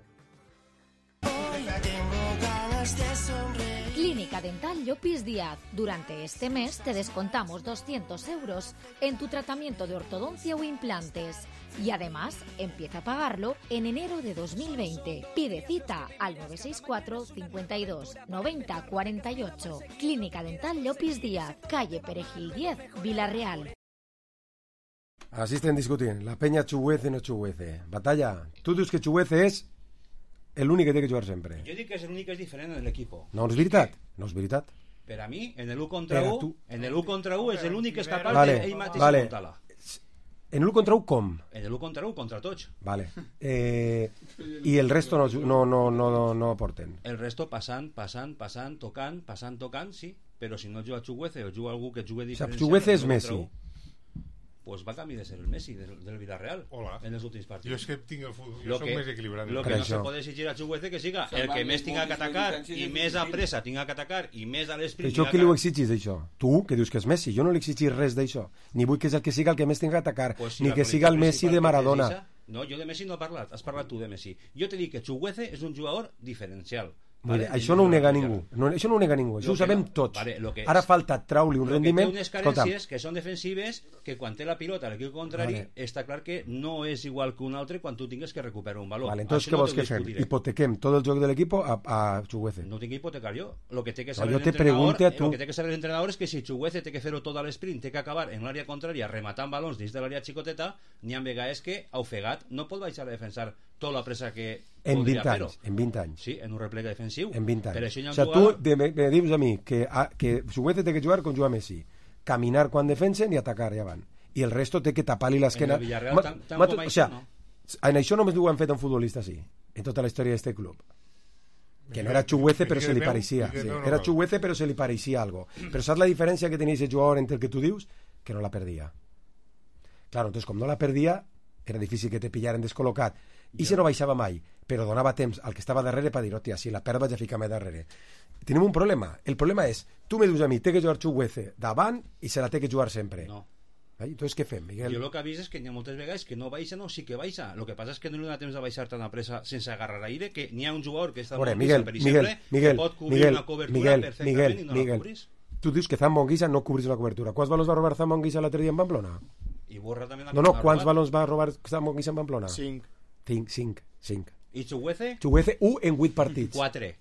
Clínica Dental Llopis Díaz. Durante este mes te descontamos doscientos euros en tu tratamiento de ortodoncia o implantes. Y además, empieza a pagarlo en enero de dos mil veinte. Pide cita al nueve seis cuatro cincuenta y dos noventa cuarenta y ocho. Clínica Dental Llopis Díaz, calle Perejil diez, Vilarreal. Así estén discutint. La penya xuguece o no xuguece. Batalla, tu dius que xuguece és l'únic que té que jugar sempre. Jo dic que és l'únic que és diferent en l'equipo. No és veritat? No és veritat. Per a mi, en el u contra u, en el u contra u és l'únic que és capaç vale, d'ell mateix vale. muntar-la. En l'u contra u com? En el u contra u contra tots. Vale. Eh, I el resto no, no, no, no, no aporten. El resto passant, passant, passant, tocant, passant, tocant, sí. Però si no juga Chuguece o juga algú que jugue diferent... O sigui, Chuguece és Messi. pues va a camí de ser el Messi del, del Villarreal. Hola. En els últims partits. Jo és que tinc el futbol, jo Lo soc que, més equilibrat. Lo que no se pot exigir a Chukwueze que siga el que més tinga que atacar i més a pressa tinga que atacar i més a l'esprint. Això qui li ho exigis, d'això? Tu, que dius que és Messi. Jo no li exigis res d'això. Ni vull que és el que siga el que més tinga que atacar, pues si ni que siga el Messi de Maradona. No, jo de Messi no he parlat, has parlat tu de Messi. Jo t'he dit que Chukwueze és un jugador diferencial. Vale, això no ho nega ningú, no, això no ho nega ningú, això ho sabem no, tots. Vale, ara falta traure un rendiment. Té unes carències que són defensives, que quan té la pilota a l'equip contrari, vale. Està clar que no és igual que un altre quan tu tingues que recuperar un valor. Vale, entonces, què no vols que fem? Hipotequem tot el joc de l'equip a, a Chukwueze. No tinc que hipotecar jo. Lo que té que no, saber jo l'entrenador lo que té que saber l'entrenador és que si Chukwueze té que fer-ho tot a l'esprint, té que acabar en l'àrea contrària rematant balons dins de l'àrea xicoteta, n'hi ha vegades que ofegat no pot baixar a defensar tota la pressa que en vint anys, en vint anys. Sí, en un replega defensiu. En vint anys. Per això hi ha o sea, jugador... tu de, me, me dius a mi que, a, que Chukwueze té que jugar com juga Messi. Caminar quan defensen i atacar, ja van. I el resto té que tapar-li l'esquena. En el Villarreal tan, tan com o sea, no? En això només ho han fet un futbolista, sí. En tota la història d'este club. Que no era Chukwueze, però se li pareixia. Sí. Era Chukwueze, però se li pareixia algo. Però saps la diferència que tenia aquest jugador entre el que tu dius? Que no la perdia. Claro, entonces, com no la perdia, era difícil que te pillaren descol·locat. I se no baixava mai, però donava temps al que estava darrere per dir, hòstia, si la perd vaig a ficar-me darrere. Tenim un problema. El problema és, tu me dius a mi, té que jugar Chukwueze davant i se la té que jugar sempre. No. Ai, entonces què fem, Miguel? Jo el que avís és que n'hi ha moltes vegades que no baixa, no, sí que baixa. El que passa és que no li dona temps de baixar tan a pressa sense agarrar aire, que n'hi ha un jugador que està Ore, molt Miguel, per Miguel, exemple, Miguel, que pot cobrir Miguel, una cobertura Miguel, perfectament Miguel, i no Miguel. la cobrís. Tu dius que Zambo Anguissa no cobrís una cobertura. Quants valors va robar Zambo Anguissa l'altre dia en Pamplona? I Borra també no, no, quants valors va robar Zambo Anguissa en Pamplona? Cinc. Cinc, cinc, cinc. I Chukwueze? Chukwueze, u en vuit partits. Quatre.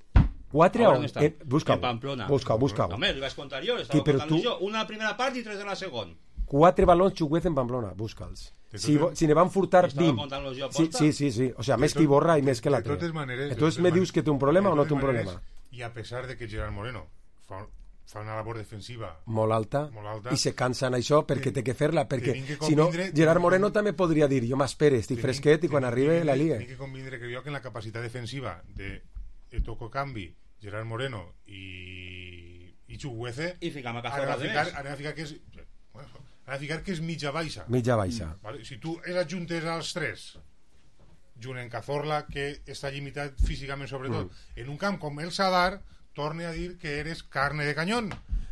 Quatre on? Eh, busca-ho. En Pamplona. Busca-ho, busca-ho. Home, li vaig contar jo, estava contant tu... jo. Una a la primera part i tres a la segona. Quatre balons Chukwueze en Pamplona, busca'ls. Si, si ne van furtar vint. Sí, sí, sí, sí. O sea, més que Iborra i més que l'altre. De totes maneres... Entonces me dius que té un problema o no té un problema? I a pesar de que Gerard Moreno fa, fa una labor defensiva molt alta, molt alta i se cansa en això perquè té que fer-la, perquè si no, Gerard Moreno també podria dir, jo m'espere, estic fresquet i quan arribi la liga. Tinc que convindre que jo que en la capacitat defensiva de, de Toco Cambi, Gerard Moreno i, i Chukwueze i ficam a Cazorla de més. Anem a ficar que és anem a ficar que és mitja baixa. Mitja baixa. Vale? Si tu els adjuntes als tres, junt en Cazorla, que està limitat físicament sobretot, mm. en un camp com el Sadar, torne a dir que eres carne de canyón.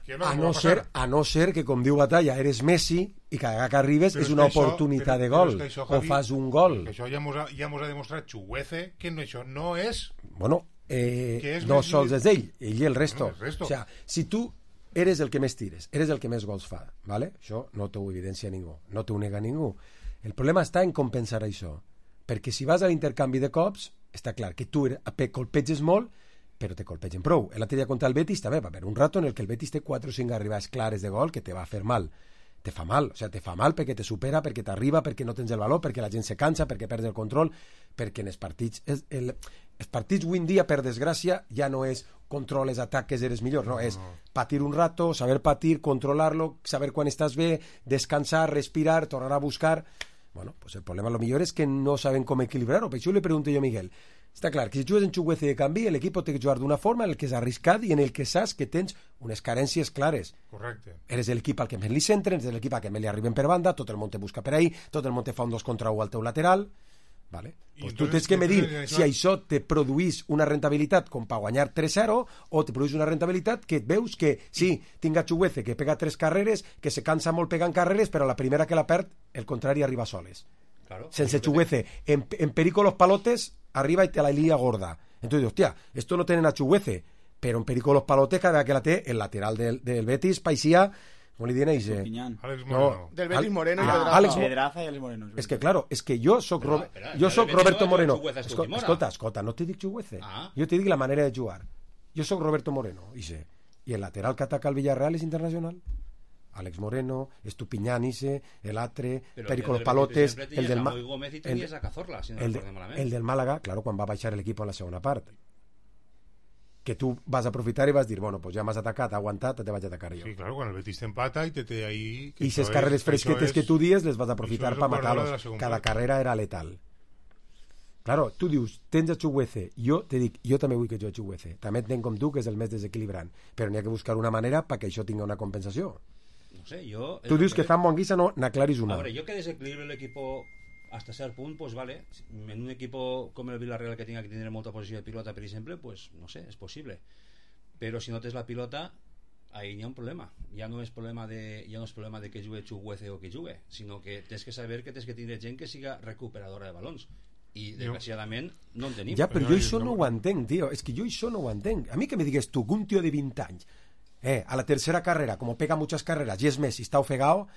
Que no, a, no ser, a no ser que, com diu Batalla, eres Messi i cada que arribes però és una és oportunitat això, però, de gol això, Javi, o fas un gol. Això ja mos ha, ja mos ha demostrat Chukwueze que no, això no és... Bueno, eh, és no sols és ell, ell i el resto. No, el resto. O sea, si tu eres el que més tires, eres el que més gols fa, ¿vale? Això no t'ho evidencia ningú, no t'ho nega ningú. El problema està en compensar això, perquè si vas a l'intercanvi de cops, està clar que tu colpeges molt, però te colpegen prou. L'altre dia contra el Betis també va haver un rato en el que el Betis té quatre o cinc arribades clares de gol que te va fer mal. Te fa mal, o sea, te fa mal perquè te supera, perquè t'arriba, perquè no tens el valor, perquè la gent se cansa, perquè perds el control, perquè en els partits... El, el, els partits avui en dia, per desgràcia, ja no és controles, ataques, eres millor, no, és patir un rato, saber patir, controlar-lo, saber quan estàs bé, descansar, respirar, tornar a buscar... Bueno, pues el problema lo millor és que no saben com equilibrar-ho. Per això li pregunto jo a Miguel. Està clar que si jugues en Chukwueze de canvi, l'equip té que jugar d'una forma en el que és arriscat i en el que saps que tens unes carències clares. Correcte. Eres l'equip al que més li centren, eres l'equip al que més li arriben per banda, tot el món te busca per ahí, tot el món te fa un dos contra u al teu lateral. Vale. Pues tu tens que medir si això te produís una rentabilitat com per guanyar tres zero o te produís una rentabilitat que et veus que sí, tinc a Chukwueze que pega tres carreres, que se cansa molt pegant carreres, però la primera que la perd, el contrari arriba soles. Claro, sense Chukwueze, en, en perico los palotes arriba y te la lía gorda. Entonces, hostia, esto no tienen a Chukwueze, pero en perico los palotes cada vez que la té el lateral del, del Betis paisía, ¿cómo le dicen? Alex Moreno. No, del Betis Moreno y Pedraza. Alex Pedraza y Alex Moreno. Es que claro, es que yo soc, Ro espera, jo soc Roberto Moreno. Escolta, escolta, escolta, no te dic Chukwueze. Ah. Jo te dic la manera de jugar. Jo soc Roberto Moreno, ixe. I el lateral que ataca al Villarreal és internacional. Alex Moreno, Estupiñán ise, el Atre, Perico los Palotes, el del, Ma el, a Cazorla, si no el, de, el del Málaga, claro, quan va baixar el equip en la segona part. Que tu vas a aprofitar i vas dir, bueno, pues ja m'has atacat, aguantat, te vaig a atacar jo. Sí, claro, quan el Betis t'empata i te té ahí... I ses carreres fresquetes que tu dies les vas a aprofitar per matar-los. Cada carrera era letal. Claro, tu dius, tens a Chukwueze, jo te dic, jo també vull que jo a Chukwueze. També entenc com tu que és el més desequilibrant, però n'hi ha que buscar una manera perquè això tingui una compensació. no sé, yo... Tu dius que Zambo Anguissa no n'aclaris una. A ver, yo que desequilibre el equipo hasta cierto punto, pues vale. En un equipo como el Villarreal que tenga que tener mucha posición de pilota, por ejemplo, pues no sé, es posible. Pero si no tienes la pilota, ahí ya hay un problema. Ya no es problema de ya no es problema de que juegue Chuguece o que juegue, sino que tienes que saber que tienes que tener gent que siga recuperadora de balons. I desgraciadament no en tenim. Ja, però jo això no ho entenc, tio. És que jo això no ho entenc. A mi que me digues tu, que un tio de vint anys, eh, a la tercera carrera, como pega muchas carreras, y es Messi, está ofegado,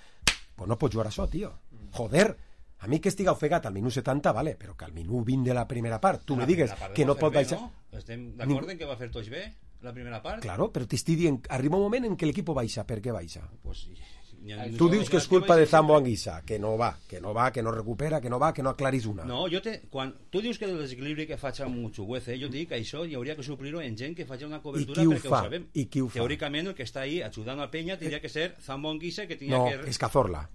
pues no pots jugar això, tio. Joder, a mi que estiga ofegat al minut setanta, vale, però que al minut vint de la primera part, tu me digues que no pot baixar... No? Estem d'acord en que va fer tots bé la primera part? Claro, però t'estic dient, arriba un moment en què l'equip baixa, per què baixa? Pues sí. Tu dius que és culpa de Zambo Anguissa, que no va, que no va, que no recupera, que no va, que no aclaris una. No, jo te, quan tu dius que el desequilibri que faig amb Chuguece, jo dic que això hi hauria que suplir-ho en gent que faci una cobertura perquè ho, ho sabem. I qui ho fa? Teòricament el que està ahí ajudant a Peña tindria que ser Zambo Anguissa, que tindria no, que... No, és Cazorla.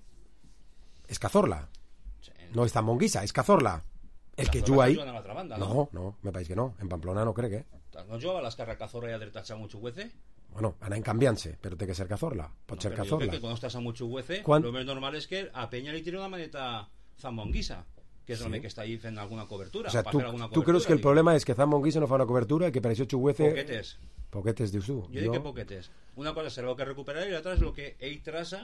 És Cazorla. No és Zambo Anguissa, és Cazorla. El que juga ahí... Banda, no? no, no, me pareix que no. En Pamplona no crec, eh? No jugava a l'esquerra Cazorla i a dreta amb Chuguece? Bueno, anem canviant-se, però té que ser Cazorla. Pot no, ser Cazorla. Jo crec que quan estàs amb Chuguece, Quan... lo més normal és que a Peña li tiri una maneta Zambo Anguissa, que és sí. el que està ahí fent alguna cobertura. O sea, tu, alguna tu creus que el problema és que Zambo Anguissa no fa una cobertura i que per això Chuguece... Poquetes. Poquetes, dius tu. Jo, jo... dic que poquetes. Una cosa serà el que recuperar i l'altra és el que ell traça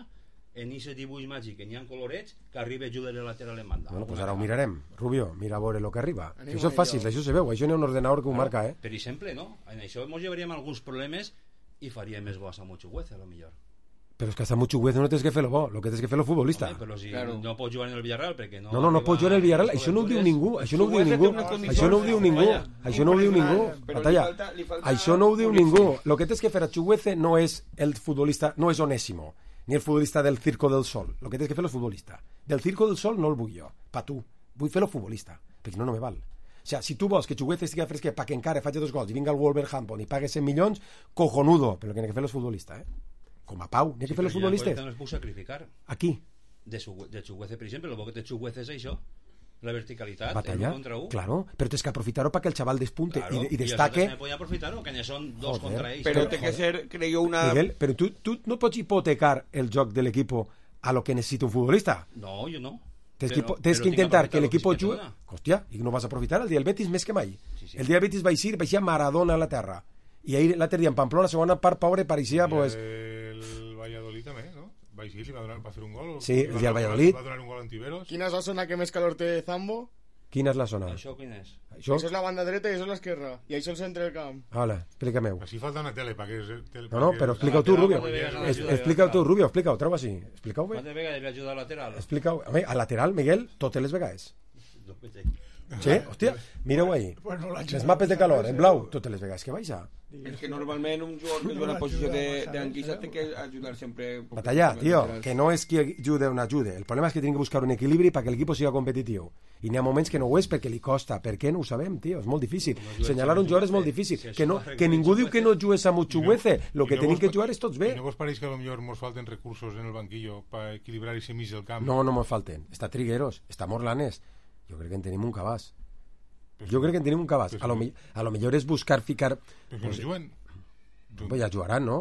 en aquest dibuix màgic que n'hi ha colorets que arriba a jugar lateral en banda. Bueno, pues ara ho mirarem. Rubio, mira a veure el que arriba. Si això és fàcil, això se veu. Això n'hi ha un ordenador que ho marca, eh? Per exemple, no? En això ens llevaríem alguns problemes i faríem més bo a Samu Chuguece, a lo millor. Però és que a Samu Chuguece no tens que fer-lo bo, el que tens que fer-lo futbolista. Home, però si claro. no pots jugar en el Villarreal perquè no... No, no, no pots jugar en el Villarreal, això no ho diu ningú, això no ho diu ningú, això no ho diu ningú, això no ho diu ningú, Batalla, això no ho diu ningú. El que tens que fer a Chuguece no és el futbolista, no és Onésimo, ni el futbolista del Circo del Sol, el que tens que fer és futbolista. Del Circo del Sol no el vull jo, pa tu, vull fer-lo futbolista, perquè no, no me val. O sea, si tu vols que Chuguece estigui fresquet perquè encara faci dos gols i vinga al Wolverhampton i pague cent milions, cojonudo, però el que n'hi ha que fer és futbolista, eh? Com a Pau, n'hi ha que fer els futbolistes. No es puc sacrificar. Aquí? De, de Chuguece, per exemple, el bo que té Chuguece és això, la verticalitat, batalla, el contra un. Claro, però tens que aprofitar-ho perquè el xaval despunte claro, i, i destaque. I podien aprofitar-ho, que n'hi són dos joder, contra ells. Però té que ser, creo, una... Miguel, però tu, tu no pots hipotecar el joc de l'equip a lo que necessita un futbolista. No, jo no. Tens que, tens que intentar que el equipo jugui... Hòstia, i no vas a aprofitar el dia del Betis més que mai. Sí, sí. El dia del Betis va eixir, va eixir Maradona a la terra. I ahir l'altre dia en Pamplona, la segona part, pobre, pareixia... Pues... El Valladolid també, no? Va eixir, li va, donar, va fer un gol. Sí, el dia del Valladolid. Va donar un gol antiveros. Quina és la zona que més calor té Zambo? Quina és la zona? Això quin és? Això? Això és la banda dreta i això és l'esquerra. I això és el centre del camp. Hola, explica-meu. Així falta una tele, perquè... Tele, no, no, però explica-ho tu, Rubio. Explica-ho tu, Rubio, explica-ho, treu així. Explica-ho bé. Quantes vegades li ajuda al lateral? Explica-ho. A, a lateral, Miguel, totes les vegades. Sí? Hòstia, mireu ahí. Les mapes de calor, en blau, totes les vegades que baixa. És que normalment un jugador que juga en la posició d'Anguissa té que ajudar sempre... Batalla, tio, que no és qui ajuda o no ajuda. El problema és que tenim que buscar un equilibri perquè l'equip sigui competitiu. I n'hi ha moments que no ho és perquè li costa. Per què no ho sabem, tio? És molt difícil. Senyalar un jugador és molt difícil. Que, no, que ningú diu que no jugues a Chuguece. El que tenim que jugar és tots bé. I no vos pareix que potser ens falten recursos en el banquillo per equilibrar aquest mig del camp? No, no ens falten. Està Trigueros, està Morlanes. Jo crec que en tenim un cabàs. Jo crec que en tenim un cabàs. A lo, a lo millor és buscar ficar... Però que no juguen. Pues ja jugaran, no?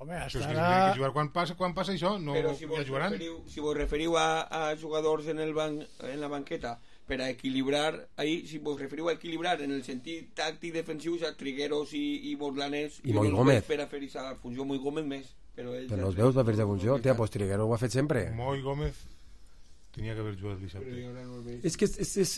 Home, estarà... Però és que si que jugar quan passa, quan passa això, no Però si ja jugaran. Referiu, si vos referiu a, a jugadors en, el ban, en la banqueta per a equilibrar, ahí, si vos referiu a equilibrar en el sentit tàctic defensiu, a Trigueros i, i Borlanes, i Moi Gómez. Per a fer aquesta funció, Moi Gómez més. Però, però no els veus va fer aquesta funció? Tia, pues Trigueros ho ha fet sempre. Moi Gómez tenia que haver jugat dissabte. És que és... és, és...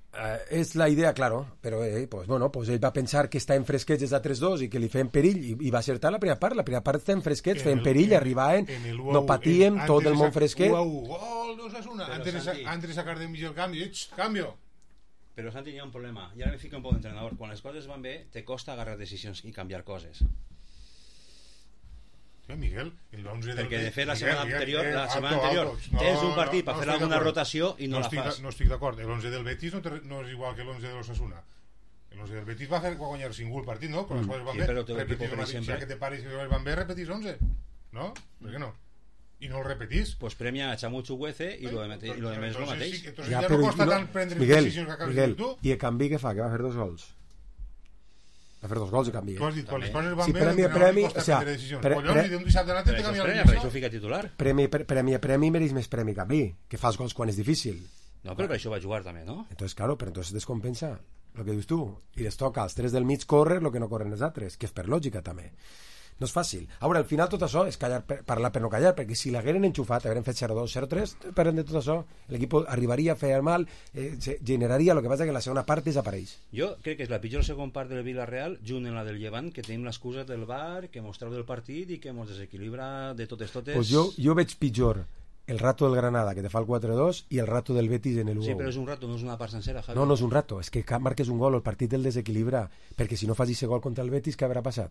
Uh, és la idea, claro, però eh, pues, bueno, pues ell va pensar que està en fresquets des d'altres dos i que li feien perill i, i va acertar la primera part, la primera part està en fresquets, feien perill, arribaven, no patíem, tot el món fresquet. Gol d'Osasuna, antes de sacar de mig el canvi, canvio. Però Santi, hi ha un problema, i ara me fico un poc d'entrenador, quan les coses van bé, te costa agarrar decisions i canviar coses. Miguel, el onze del... Perquè de fet la setmana anterior, la setmana anterior tens un partit per fer alguna rotació i no la fas. No estic d'acord, l'onze del Betis no és igual que l'onze de l'Osasuna. L'onze del Betis va guanyar cinc el partit, no? Quan les coses van bé, repetís el mateix, ja que te pares i les van bé, repetís onze, no? Per què no? I no el repetís. Pues premia a Samu Chuguece i lo demés és el mateix. Entonces ja no costa tant prendre decisions que acabes de tu. I el canvi que fa, que va fer dos gols. va fer dos gols i canvi. Tu has dit, quan les coses van sí, bé, premi, l'entrenador premi, li costa o sea, prendre decisions. pre, Collons, pre, i d'un dissabte a l'altre te canvia la Per decisió. això fica titular. Premi, pre, premi, premi mereix més premi que a mi, que fas gols quan és difícil. No, però per això va jugar també, no? Entonces, claro, però entonces descompensa el que dius tu. I les toca als tres del mig córrer el que no corren els altres, que és per lògica també. No és fàcil. A veure, al final tot això és callar per, parlar per no callar, perquè si l'hagueren enxufat, hagueren fet zero dos, zero tres, parlem de tot això, l'equip arribaria a fer mal, eh, generaria, el que passa que la segona part desapareix. Jo crec que és la pitjor segona part del Villarreal, junt amb la del Llevant, que tenim l'excusa del V A R, que mostreu del partit i que ens desequilibra de totes totes. Pues jo, jo veig pitjor el rato del Granada, que te fa el quatre dos, i el rato del Betis en el u a u. Sí, però és un rato, no és una part sencera, Javi. No, no és un rato, és que marques un gol, el partit el desequilibra, perquè si no fas aquest gol contra el Betis, què haurà passat?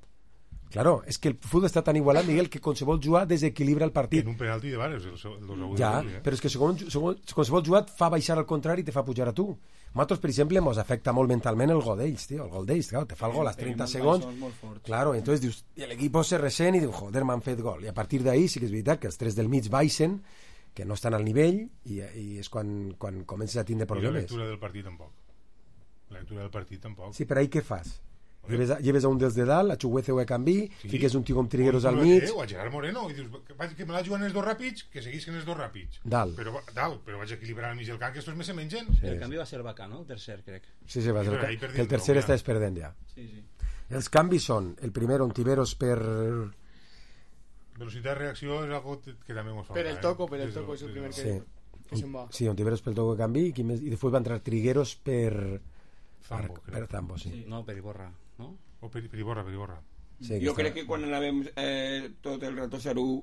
Claro, és que el futbol està tan igualat, Miguel, que qualsevol jugat desequilibra el partit. En un penalti de Vares, el dos a u. Ja, però és que segons, segons, qualsevol jugat fa baixar al contrari i te fa pujar a tu. Nosaltres, per exemple, ens afecta molt mentalment el gol d'ells, tio, el gol d'ells, claro, te fa el gol als trenta segons, claro, i entonces dius, i l'equip se ressent i diu, joder, m'han fet gol, i a partir d'ahí sí que és veritat que els tres del mig baixen, que no estan al nivell, i, i és quan, quan comences a tindre problemes. I la lectura del partit tampoc. La lectura del partit tampoc. Sí, però ahí què fas? Lleves a, lleves a un dels de dalt, a Chuguece o a Canvi, sí. Fiques un tio com Trigueros al mig... O a Gerard Moreno, i dius, que me la juguen els dos ràpids, que seguisquen els dos ràpids. Dalt. Però, dalt, però vaig equilibrar al mig del camp, que estos me se mengen. Sí. El canvi va ser Bacà, no? El tercer, crec. Sí, sí, va ser el, que el tercer està perdent ja. Sí, sí. Els canvis són, el primer, Ontiveros per... Velocitat de reacció és algo que també ens fa. Per el toco, per el toco, és el primer que, sí. que se'n va. Sí, Ontiveros pel toco de canvi, i, i després va entrar Trigueros per... Zambo, per, per Zambo, sí. sí. No, per Iborra, no? O per, per Iborra, per Iborra. Sí, jo crec que quan anàvem eh, tot el rato zero u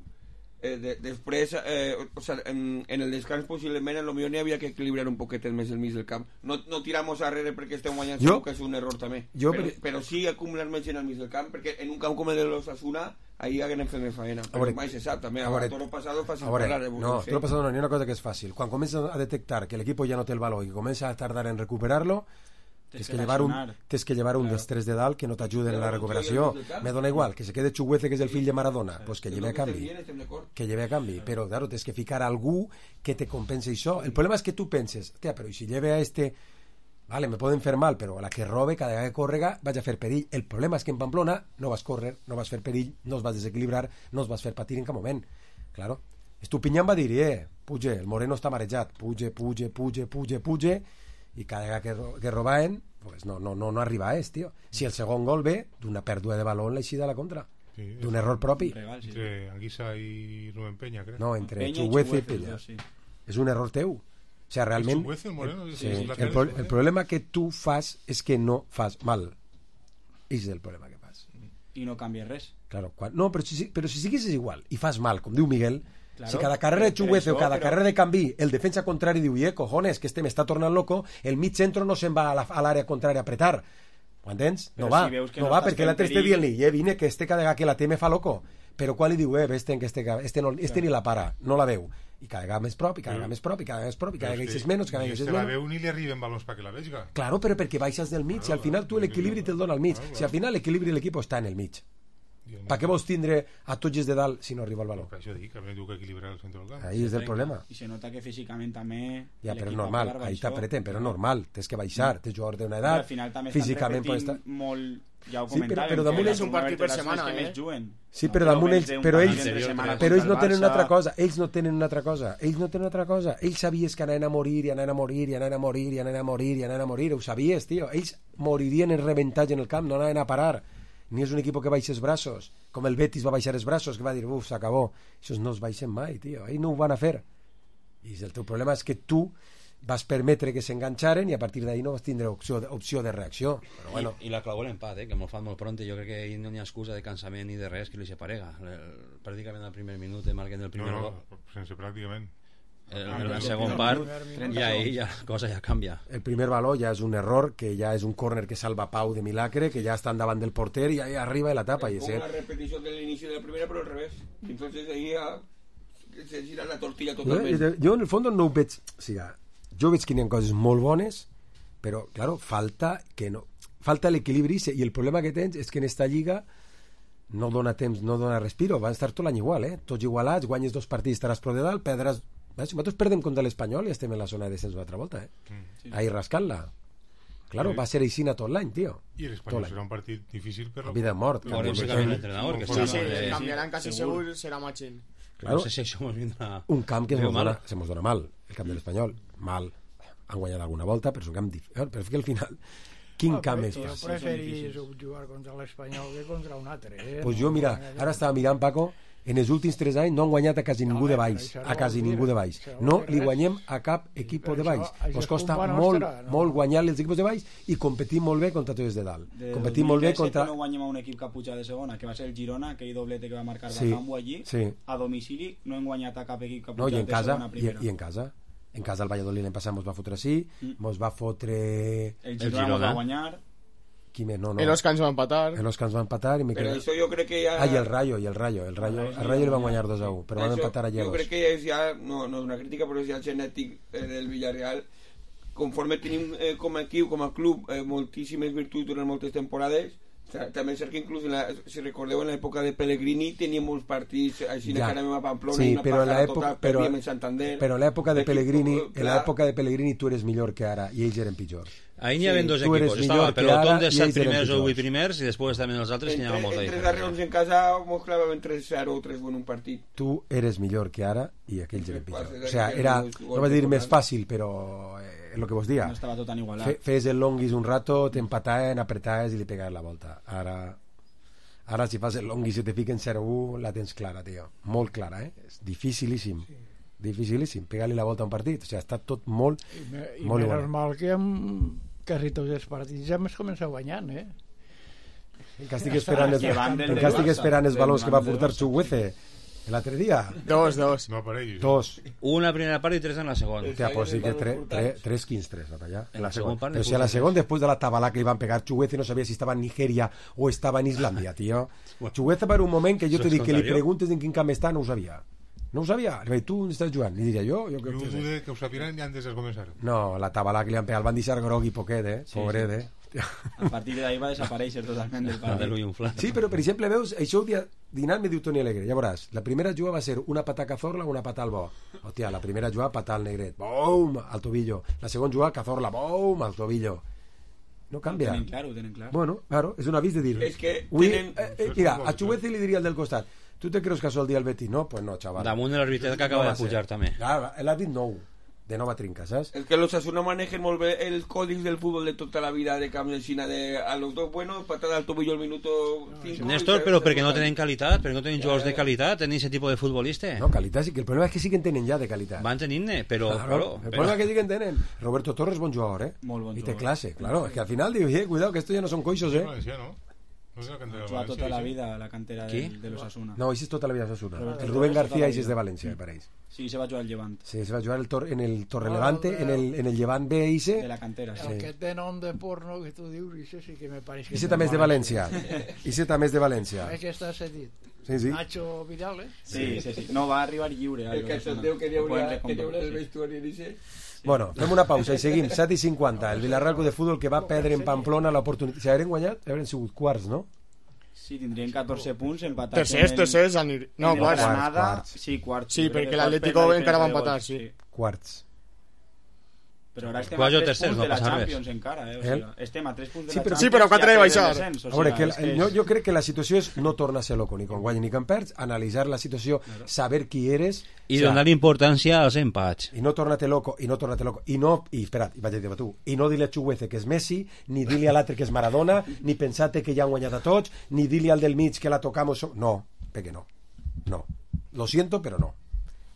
eh, de, després eh, o sea, en, en el descans possiblement en lo millor n'hi havia que equilibrar un poquet més el mig del camp, no, no tiramos arrere perquè estem guanyant jo, segur que és un error també jo, però, però sí acumular més gent al mig del camp perquè en un camp com el de l'Osasuna ahí haguem fet més faena però mai se sap també, a, a toro pasado fàcil a veure, parlar no, toro pasado no, n'hi ha una cosa que és fàcil quan comença a detectar que l'equip ja no té el valor i comença a tardar en recuperar-lo tens que, que llevar un, tens que llevar un claro. dels tres de dalt que no t'ajuden en la recuperació me dona igual, que se quede Chuguece que és el fill de Maradona pues que lleve a canvi que lleve a canvi, però claro, tens que ficar algú que te compense això, el problema és que tu penses, tia, però si lleve a este vale, me poden fer mal, però a la que robe cada vegada que córrega vaig a fer perill, el problema és que en Pamplona no vas córrer, no vas fer perill no es vas desequilibrar, no es vas fer patir en cap moment claro, Estupinyán va dir eh, puge, el Moreno està marejat puge, puge, puge, puge, puge i cada vegada que, que robaven pues no, no, no, no arriba a és, tio. Si el segon gol ve d'una pèrdua de baló en l'eixida a la contra sí, d'un error propi regal, sí. Entre Anguissa i Rubén Peña crec. No, entre Chuguece i Peña sí. És un error teu o sea, realment el, Chuguece, el, Moreno, sí, sí. El, pro, el problema que tu fas és que no fas mal és el problema que fas i no canvia res claro, quan, no, però si, però si siguis igual i fas mal, com diu Miguel claro, si cada carrera de Chuguece o cada però... carrera de Canvi el defensa contrari diu, eh, cojones, que este me està tornant loco, el mig centro no se'n va a l'àrea contrària a apretar ho entens? No va, si no, no va perquè l'altre este dient-li, eh, vine que este cada vegada que la té me fa loco però quan li diu, eh, este, este, este, no, este ni la para, no la veu i cada vegada més prop, i cada vegada més prop, i cada vegada més prop i cada vegada és menys, cada vegada és menys la veu ni li arriben balons perquè la veiga claro, però perquè baixes del mig, si al final tu l'equilibri te'l dona al mig, si al final l'equilibri de l'equip està en el mig per què vols tindre a tots els de dalt si no arriba el valor? Per això dic, que a mi diu que equilibrar el centre del camp. Ahí és el problema. I se nota que físicament també... Ja, però és normal, ahí t'apreten, però és normal, tens que baixar, tens jugadors d'una edat, al final també físicament estan repetint estar... molt... Ja ho sí, però, però damunt ells un partit per setmana, eh? Sí, però damunt ells, però ells, però ells no tenen una altra cosa, ells no tenen una altra cosa, ells no tenen una altra cosa, ells sabies que anaven a morir, i anaven a morir, i anaven a morir, i anaven a morir, i anaven a morir, ho sabies, tio, ells moririen en reventatge en el camp, no anaven a parar, ni és un equip que baixa els braços, com el Betis va baixar els braços, que va dir, uf, s'acabó, això no es baixen mai, tio, ells no ho van a fer, i el teu problema és que tu vas permetre que s'enganxaren i a partir d'ahí no vas tindre opció de, opció de reacció però bueno. I, i la clavó l'empat, eh, que molt fan molt pronte jo crec que no hi ha excusa de cansament ni de res que li separega pràcticament al primer minut marquen el primer no, no, gol sense pràcticament el, el, el segon part i ahí ja, la cosa ja canvia el primer baló ja és un error que ja és un córner que salva Pau de milagre que ja estan davant del porter i ahí arriba i la tapa es una repetició de l'inici de la primera però al revés entonces ahí ja se gira la tortilla totalment jo, jo en el fons no ho veig o sigui, jo veig que hi ha coses molt bones però, claro, falta que no falta l'equilibri i el problema que tens és que en esta lliga no dona temps, no dona respiro, van estar tot l'any igual, eh? Tots igualats, guanyes dos partits, estaràs pro de dalt, perdràs... Si nosaltres perdem contra l'Espanyol i estem en la zona de descens una altra volta, eh? Mm, sí. Ahí rascant-la. Claro, va ser així tot l'any, tio. I l'Espanyol serà un partit difícil per la... Vida de mort. Veurem si canvia l'entrenador. Sí, sí, canviaran quasi segur, serà Machín. No sé si això mos vindrà... Un camp que se mos dona mal, el camp de l'Espanyol. Mal. Han guanyat alguna volta, però és un camp difícil. Però és que al final... Quin camp és fàcil? Jo preferís jugar contra l'Espanyol que contra un altre. Eh? Pues jo, mira, ara estava mirant, Paco, en els últims tres anys no han guanyat a quasi ningú de baix. A quasi ningú de baix. No li guanyem a cap equip de baix. Ens costa molt, molt guanyar els equips de baix i competim molt bé contra tots de dalt. Competim molt bé contra... No guanyem a un equip que ha pujat de segona, que va ser el Girona, aquell doblete que va marcar Bacambo allí. A domicili no hem guanyat a cap equip que ha pujat de segona a primera. I en casa. En casa el Valladolid l'any passat mos va fotre així, mos va fotre... El Girona va guanyar... Qui més? No, no. El Osca ens va empatar. El Osca ens va empatar i me Però això jo crec que ja... Ah, i el Rayo, i el Rayo. El Rayo, el Rayo el van guanyar dos a u, però van empatar a Llegos. Jo crec que és ja, no, no és una crítica, però és ja el genètic eh, del Villarreal. Conforme tenim eh, com a equip, com a club, eh, moltíssimes virtuts durant moltes temporades. O sea, també és cert que inclús, en la, si recordeu, en l'època de Pellegrini teníem uns partits així ja. Que anàvem a Pamplona sí, i una pagada total, perdíem en Santander. Però en l'època de Pellegrini, en l'època de Pellegrini tu eres millor que ara i ells eren pitjors. Ahí n'hi havia sí, dos equipos, estava el pelotón de set primers o vuit primers i després també els altres que n'hi havia molta diferència. Entre darrers en casa mos clavàvem tres zero o tres u en un partit. Tu eres millor que ara i aquells eren pitjors. O sea, era, no va dir més fàcil, però eh, el que vos dia. No estava tot tan igualat. Fes el longuis un rato, t'empataven, apretaves i li pegaves la volta. Ara, ara si fas el longuis i te fiquen zero u, la tens clara, tio. Molt clara, eh? És dificilíssim. Sí. Dificilíssim, pegar-li la volta a un partit, o sigui, està tot molt i, me, i molt menys mal que amb quasi tots els partits ja més comença guanyant, eh? Encara estic esperant els, encara estic esperant els valors que va portar Chuguece l'altre dia. Dos, dos. No apareix. Dos. Una primera part i tres en la segona. Hòstia, pues sí que tre, tre, tres quins tres, no, allà. En la segona part. Però si a la segona, después de la tabala que iban a pegar Chuguece, no sabia si estava en Nigeria o estava en Islandia, tío. Chuguece per un moment que jo te dic que li preguntes en quin camp està, no ho sabia. No ho sabia. Li vaig, tu on estàs jugant? Li diria jo. Jo, jo dude que ho sapiran ja antes de començar. No, la tabala que li han pegat el van deixar grogui poquet, eh? Sí, pobret, sí. Eh? A partir d'ahí va desaparèixer totalment del partit. Sí, però per exemple, veus, això ho dia dinant me diu Toni Alegre, ja veuràs, la primera jugada va ser una patà a Cazorla o una patà al bo. Hòstia, la primera jugada patà al Negret, bum, al tobillo. La segona jugada Cazorla, bum, al tobillo. No canvia. Ho tenen clar, ho tenen clar. Bueno, claro, és un avís de dir. És que Ui, tenen... eh, eh, mira, a Chuguece li diria el del costat, ¿tú te crees que ha el día el Betis? No, pues no, chaval. Damunt de l'arbitret que acaba no de pujar també. Claro, l'àrbit nou, de nova trinca, saps? Es que los Osasuna manejen molt bé el código del fútbol de tota la vida de Camp de China, de a los dos buenos, patada al tobillo al minuto cinco. Néstor, però perquè no tenen qualitat, perquè no tenen jugadors de qualitat, tenen aquest tipus de futbolista. No, qualitat sí, que el problema és que sí que en tenen ja de qualitat. Van tenint-ne, però... Claro, claro, el problema és que sí que en tenen. Roberto Torres, bon jugador, eh? Molt bon jugador. I té jugador. clase, claro. Es que al final diu, eh, cuidado, que esto ya no son coixos, eh? Valencià, no? No és la cantera de Juega València. tota la vida a la cantera de, de los Asuna. No, ese es tota la vida de Osasuna. Roberto El Rubén Torres, García tota la ese es vida. de Valencia, me pareix. Sí, se va jugar al Llevant. Sí, se va jugar el tor en el Torrelevante, en el, en el Llevant B ese. De la cantera, sí. El que té nom de porno que tu dius, això sí que me pareix que... Ese també és de València. Ese també és de València. És que està cedit. Sí, sí. Nacho Vidal, eh? Sí, sí, sí. No, va arribar lliure. El que s'enteu que n'hi haurà el vestuari dice... Bueno, fem una pausa i seguim. set i cinquanta. El Villarreal de Futbol que va perdre en Pamplona l'oportunitat. Si hagueren guanyat, haurien sigut quarts, no? Sí, tindrien catorze punts empatats. Tercers, tercers, anir... no, en el quarts. Granada, quarts. sí, quarts. Sí, perquè l'Atlético encara va empatar, sí. Quarts. Però ara estem Quasi a tres tercers, punts no de la passa res. Champions encara, eh? O El? sigui, estem a tres punts de Sí, la però- Champions. Sí, però quatre i de a baixar. tres de descens, o A veure, sigui, que és la, que jo, és- jo crec que la situació és no tornar-se loco ni quan guanyi ni quan perds, analitzar la situació, saber qui eres I o sea, donar importància als empats. i no tornar-te loco, i no tornar-te loco, i no, i espera't, i vaig a dir-te tu, i no dir-li a Chuguece que és Messi, ni dir-li a l'altre que és Maradona, ni pensar-te que ja han guanyat a tots, ni dir-li al del mig que la tocamos, no, perquè no, no, lo siento però no,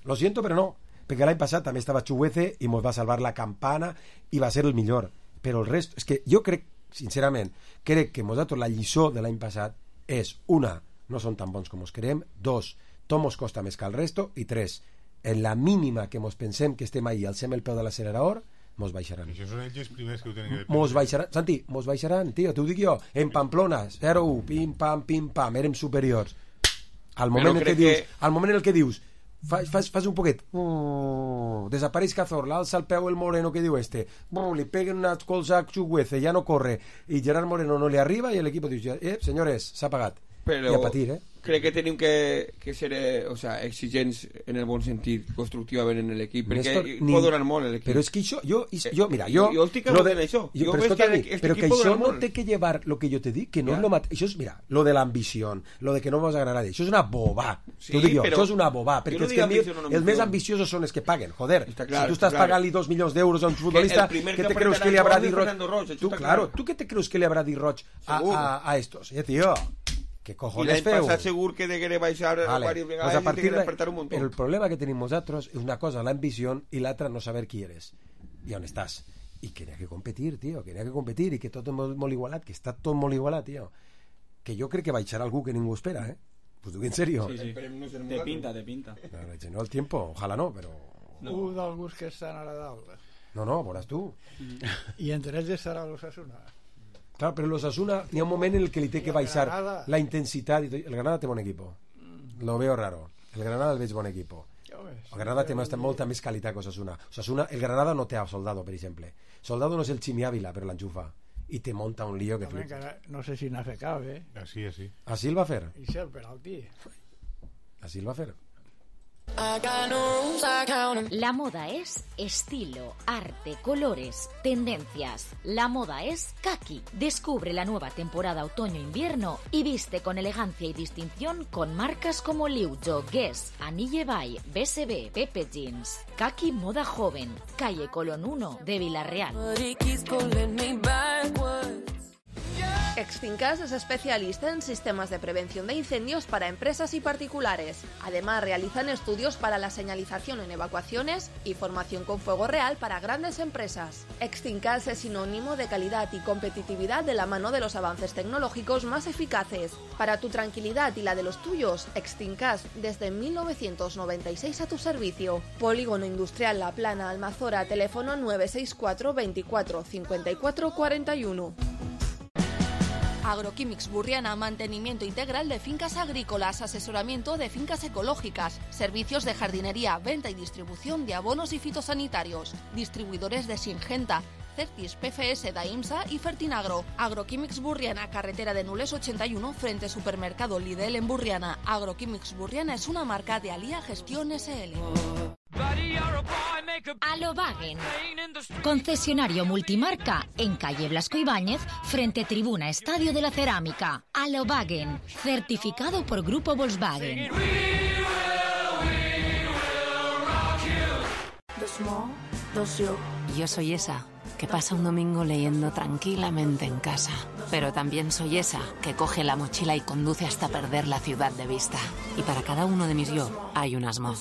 lo siento però no, perquè l'any passat també estava Chuguece i mos va salvar la campana i va ser el millor, però el resto, és que jo crec, sincerament, crec que nosaltres la lliçó de l'any passat és, una, no són tan bons com us creiem, dos, tot mos costa més que el resto, i tres, en la mínima que mos pensem que estem ahí, alcem el peu de l'accelerador, mos baixaran. Això són ells els primers que ho tenen que dependre. Mos baixaran, Santi, mos baixaran, tio, t'ho dic jo, en Pamplona, zero u, pim, pam, pim, pam, érem superiors. Al moment en crec què dius, que- al moment en el que dius, fas, fas, fas un poquet, uh, desapareix Cazorla, alça el peu el Moreno que diu este, uh, li peguen una colza a Chuguece, ja no corre, i Gerard Moreno no li arriba, i l'equip diu, eh, senyores, s'ha pagat. però I a patir, eh? crec que tenim que, que ser eh, o sea, exigents en el bon sentit, constructivament en l'equip, perquè Néstor, ni... pot donar molt l'equip. Però és que això, jo, jo mira, jo... Jo estic lo de, en això. Jo, Jo però veig escolta, que este però que equip pot això donar no molt. té que llevar lo que yo te dic, que no Ja. és lo mateix. Això és, mira, lo de l'ambició, lo de que no vamos a ganar a nadie, això és una bobà. Sí, T'ho dic jo, però això és una bobà, jo perquè no és dic que ambició, el, no els ambició. més ambiciosos són els que paguen, joder. Està clar, si tu estàs clar. pagant-li dos milions d'euros a un futbolista, el primer ¿qué que te creus apretarà que li el habrá gol dit és Roig? Fernando Roig, això Tu, està claro, clar. tu què te creus que li habrá dit Roig a, Segur. a, a estos? Eh, tío, què I cojones l'any feu? passat segur que degué baixar Vale. varias Pues vegades a i partir degué de... apretar un muntó. El problema que tenim nosaltres és una cosa la ambició i l'altra no saber qui eres i on estàs. I que n'hi ha que competir, tio, que n'hi ha que competir i que tot és molt, molt igualat, que està tot molt igualat, tio. Que jo crec que baixarà algú que ningú espera, eh? Pues dic en serio. Sí, sí. Te pinta, te pinta. No, no el tiempo, ojalá no, però... No. Un d'alguns que estan ara dalt. No, no, veuràs tu. I entre ells estarà l'Osasuna. Claro, pero los Asuna, ni un momento en el que le tiene que baixar Granada. la intensidad. El Granada té bon equipo. Lo veo raro. El Granada el veig bon equipo. El Granada té molta, molta més qualitat que Osasuna. Osasuna. El Granada no té a Soldado, per exemple. Soldado no és el Chimi Ávila, però l'enxufa. I te monta un lío que Home, flipa. que no sé si n'ha fet cap, eh? Así, así. Així el va fer. I ser el penalti. Així el va fer. La moda es estilo, arte, colores, tendencias. La moda es Kaki. Descubre la nueva temporada otoño-invierno y viste con elegancia y distinción con marcas como Liujo, Guess, Anille Bay, B S B, Pepe Jeans. Kaki Moda Joven, calle Colón uno de Villarreal. Extincas es especialista en sistemas de prevención de incendios para empresas y particulares. Además, realizan estudios para la señalización en evacuaciones y formación con fuego real para grandes empresas. Extincas es sinónimo de calidad y competitividad de la mano de los avances tecnológicos más eficaces. Para tu tranquilidad y la de los tuyos, Extincas desde mil novecientos noventa y seis a tu servicio. Polígono Industrial La Plana, Almazora, teléfono nueve seis cuatro veinticuatro cincuenta y cuatro cuarenta y uno. Agroquímics Burriana, mantenimiento integral de fincas agrícolas, asesoramiento de fincas ecológicas, servicios de jardinería, venta y distribución de abonos y fitosanitarios, distribuidores de Singenta, Certis, P F S, Daimsa y Fertinagro. Agroquímics Burriana, carretera de Nules ochenta y uno, frente Supermercado Lidl en Burriana. Agroquímics Burriana es una marca de Alía Gestión S L. Alobagen, concesionario multimarca en calle Blasco Ibáñez, frente Tribuna Estadio de la Cerámica. Alobagen, certificado por Grupo Volkswagen. Yo soy esa que pasa un domingo leyendo tranquilamente en casa. Pero también soy esa que coge la mochila y conduce hasta perder la ciudad de vista. Y para cada uno de mis yo hay un Asmo.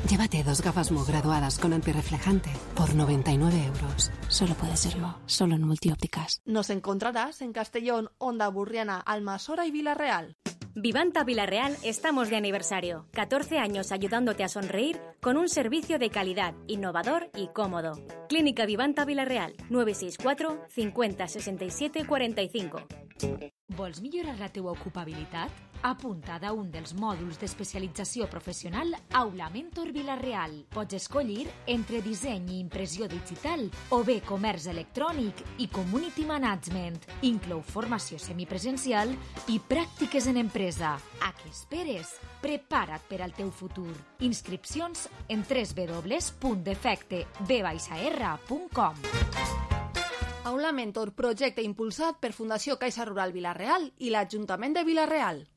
Llévate dos gafas Mo graduadas con antirreflejante por noventa y nueve euros. Solo puede ser Mo, solo en Multiópticas. Nos encontrarás en Castellón, Onda Burriana, Almasora y Villarreal. Vivanta Villarreal estamos de aniversario. catorce años ayudándote a sonreír con un servicio de calidad, innovador y cómodo. Clínica Vivanta Villarreal, nueve seis cuatro cincuenta sesenta y siete cuarenta y cinco. Vols millorar la teua ocupabilitat? Apunta't a un dels mòduls d'especialització professional Aula Mentor Villarreal. Pots escollir entre disseny i impressió digital o bé comerç electrònic i community management. Inclou formació semipresencial i pràctiques en empresa. A què esperes? Prepara't per al teu futur. Inscripcions en w w w punt defecte b r punt com. Aula Mentor, projecte impulsat per Fundació Caixa Rural Villarreal i l'Ajuntament de Villarreal.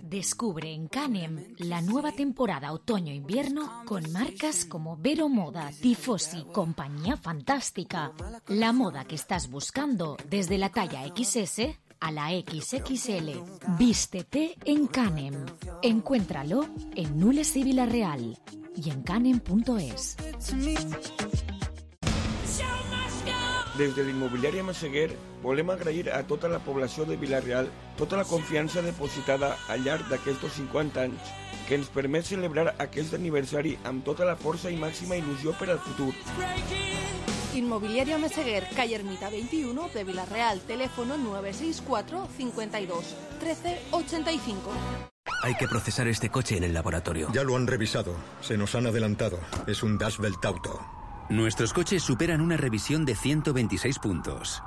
Descubre en Canem la nueva temporada otoño-invierno con marcas como Vero Moda, Tifosi, Compañía Fantástica. La moda que estás buscando desde la talla equis ese a la equis equis ele. Vístete en Canem. Encuéntralo en Nules y Villarreal y en canem punto es. Des de l'immobiliària Massaguer volem agrair a tota la població de Villarreal tota la confiança depositada al llarg d'aquests cinquanta anys que ens permet celebrar aquest aniversari amb tota la força i màxima il·lusió per al futur. Inmobiliaria Meseguer, calle Ermita veintiuno de Villarreal, teléfono nueve seis cuatro cincuenta y dos trece ochenta y cinco. Hay que procesar este coche en el laboratorio. Ya lo han revisado. Se nos han adelantado. Es un Das Belt Auto. Nuestros coches superan una revisión de ciento veintiséis puntos.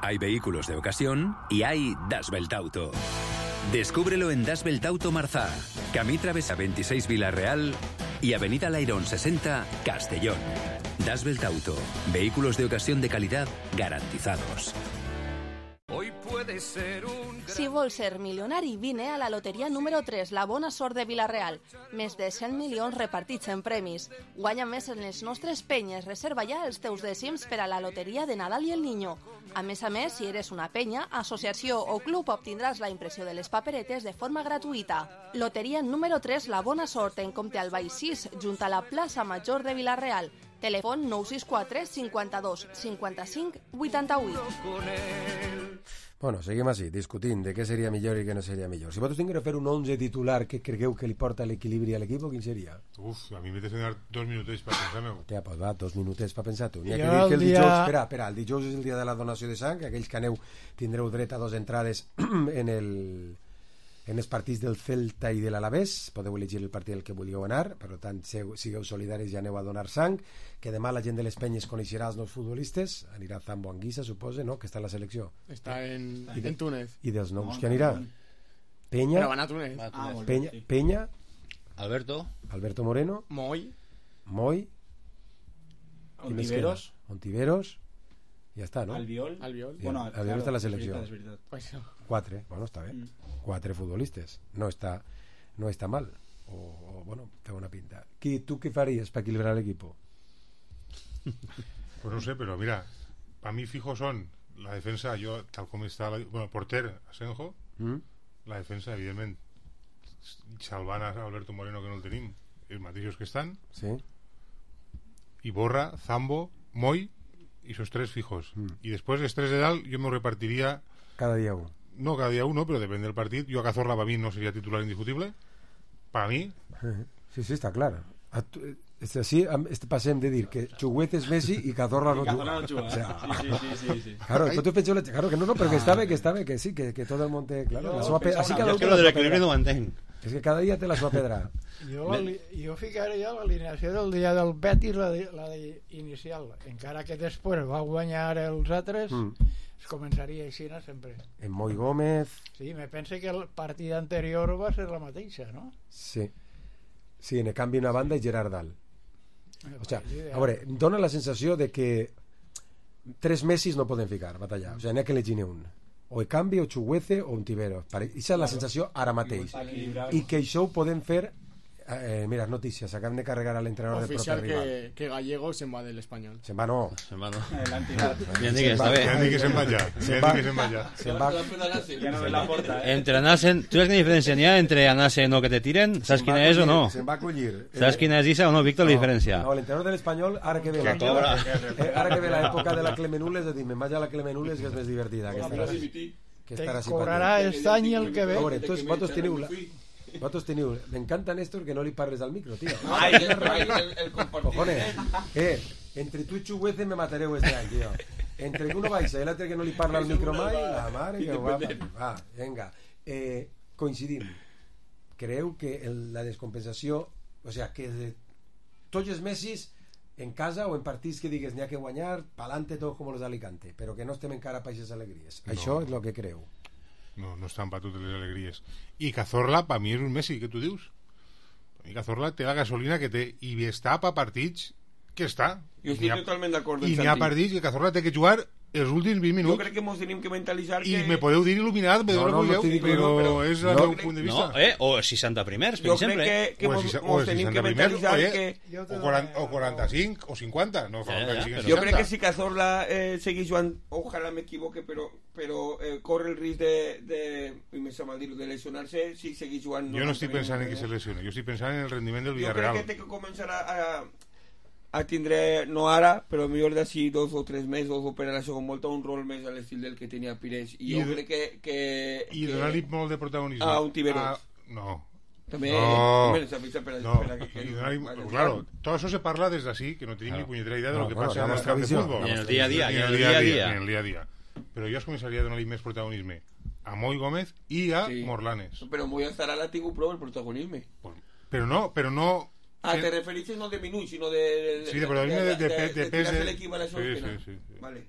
Hay vehículos de ocasión y hay Das Belt Auto. Descúbrelo en Das Belt Auto Marzá, Camí Travesa veintiséis Villarreal y Avenida Lairón sesenta, Castellón. Das Belt Auto, vehículos de ocasión de calidad garantizados. Hoy puede ser un... Si vols ser milionari, vine a la loteria número tres, la bona sort de Vila-real. Més de cent milions repartits en premis. Guanya més en les nostres penyes. Reserva ja els teus dècims per a la loteria de Nadal i el Niño. A més a més, si eres una penya, associació o club, obtindràs la impressió de les paperetes de forma gratuïta. Loteria número tres, la bona sort, en Comte Albay sis, junt a la plaça Major de Vila-real. Telèfon nou sis quatre cinquanta-dos cinquanta-cinc vuitanta-vuit. Bueno, seguim així, discutint de què seria millor i què no seria millor. Si vosaltres tingueu de fer un onze titular que cregueu que li porta l'equilibri a l'equip, quin seria? Uf, a mi m'he de donar dos minutets per pensar-me. Ja, pues va, dos minutets per pensar tu. N'hi ha Jo que dir que el el dia- dijous... Espera, espera, el dijous és el dia de la donació de sang, aquells que aneu tindreu dret a dos entrades en el... en els partits del Celta i de l'Alavés. Podeu elegir el partit al que vulgueu anar, per tant, seu- sigueu solidaris i aneu a donar sang, que demà la gent de les penyes coneixerà els nous futbolistes, anirà Zambo Anguissa, suposa, no?, que està a la selecció. Està en, I de- en Túnez. I dels nous que anirà? Penya, Però van a Túnez. Va a Túnez. Ah, Penya, sí. Penya, Alberto, Alberto Moreno, Moy, Moy, qui més queda? Ontiveros, Ontiveros, ja està, no? Albiol. Albiol. I el- Albiol està a la és selecció. veritat, és veritat. Pues, Quatre, bueno, està bé. Quatre futbolistes. No està, no està mal. O, o bueno, té una pinta. Qui, tu què faries per equilibrar l'equip? Pues no sé, pero mira, para mí fijo son la defensa, yo tal como está, la, bueno, porter, Asenjo, Mm? la defensa, evidentment, salvant a Alberto Moreno, que no el tenim, els mateixos que estan, Sí. Iborra, Zambo, Moy, y esos tres fijos. Mm. Y después, los tres de Dal, yo me repartiría, Cada dia un. no cada día uno, pero depende del partido. Yo a Cazorla, para mí, no sería titular indiscutible. Para mí, Sí, sí, està clar. A tu- és així, am- este passem de dir que Chuguet és Messi i Cazorla no I Cazorla juga. no juga. O sea, Sí, sí, sí, sí, sí. Claro, vosaltres penseu... la- Claro, que no, no, però que està bé, que està bé, que sí, que, que tot el món té... Claro, Jo la seva pe... pensava Així una cada cosa. un té que la lo del seva equilibri no ho pedra. entenc. És que cada dia té la seva pedra. Jo, la, jo ficaria l'alineació del dia del Betis, la, de, la de inicial, encara que després va guanyar els altres, Mm. es començaria així sempre. En Moy Gómez... Sí, me penso que el partit anterior va ser la mateixa, no? Sí. Sí, en canvi una banda i Gerard Dal. O sea, Ideal. a veure, dona la sensació de que tres Messis no poden ficar, batallar. O sea, n'hi ha que elegir un. O Ekambi, o Chuguece, o Ontiveros. Aquesta és la sensació ara mateix. I que això ho podem fer... Eh, mira, notícies, acabem de carregar a l'entrenador del propi oficial rival. que, que Gallego se va del español. Se'n va, no. Se'n va, no. Adelante. Bien, di que està bé. ja dic que se'n va ja. Se'n Ja va. dic que se'n va ja. Se'n va. Ya no ves la porta, eh. Entre anar-se'n... Tu saps quina diferència n'hi ha entre anar-se'n o que te tiren? Saps Se'n va quina és o no? acollir, Se'n va acollir. Saps quina és esa o no, Víctor, la diferència? No, l'entrenador de l'Espanyol, ara que ve Que cobra. eh, ara que ve l'època de la Clemenules, és a dir, me'n vaig a la Clemenules, que és més divertida. Que estarà, que Te estarà cobrarà simpàtic. este any i el que ve. A veure, tu, vosaltres teniu... La... Vosaltres teniu... M'encanta, Néstor, que no li parles al micro, tio. Ai, ai, el, el compartir. Cojones, eh, entre tu i Chuguece me matareu este any, tio. Entre que uno baixa i l'altre que no li parla al micro mai, la mare que ho va patir. Va, vinga. Eh, coincidim. Creu que el, la descompensació, o sea, que de, tots els Messis en casa o en partits que digues n'hi ha que guanyar, pa'lante tot com los d'Alicante, però que no estem encara per aquestes alegries. No. Això és el que creu. No, no estan per totes les alegries. I Cazorla, per mi és un Messi, què tu dius? Per mi Cazorla té la gasolina que té i està per partits que està. Jo I estic n'hi ha- totalment d'acord I amb n'hi ha Santi. partits que Cazorla té que jugar els últims vint Jo minuts. crec que mos tenim que mentalitzar I que... me podeu dir il·luminat, me No, no, no, no t'hi dic però, no, però però- és el no. meu punt de vista. No, eh? O seixanta primers, per Jo crec exemple. que, que O mos, si- o mos si tenim que seixanta primers, mentalitzar oye, que... o, quaranta, o quaranta-cinc o cinquanta. No fa Ja, falta ja, que siguin però- Jo seixanta. crec que si Cazorla eh, seguís jugant, ojalà m'equivoque, però, però eh, corre el risc de, de, i me sap mal dir-ho, de lesionar-se si seguís jugant. Jo no estic pensant en que se lesione, jo estic pensant en el rendiment del Jo crec Villarreal. que té que començar a, a, a tindre, no ara, però millor d'ací dos o tres mesos o per a la segona volta un rol més a l'estil del que tenia Pires. I, I jo de- crec que... que I que donar-li molt de protagonisme. a Ontiveros. Ah, no. També, No, també s'avisa per a, no. per a que... que Y donar-li- vaya claro, jugant. todo eso se parla desde así, que no tenim Claro. ni puñetera idea de No, lo que bueno, pasa la en el nostra camp de visió. fútbol. Ni en el dia a dia, Ni ni en en el el dia a dia a dia. dia. Ni en el dia a dia. Però jo es començaria a donar-li més protagonisme a Moy Gómez i a Sí. Morlanes. Però Moya estarà l'ha tingut prou el protagonisme. Però no, però no... Ah, te refereixes no de minuts, sinó de... Sí, de protagonisme de, de, de, de, de pes tirarse de... l'equip a la Sí, sortena. sí, sí, sí. Vale.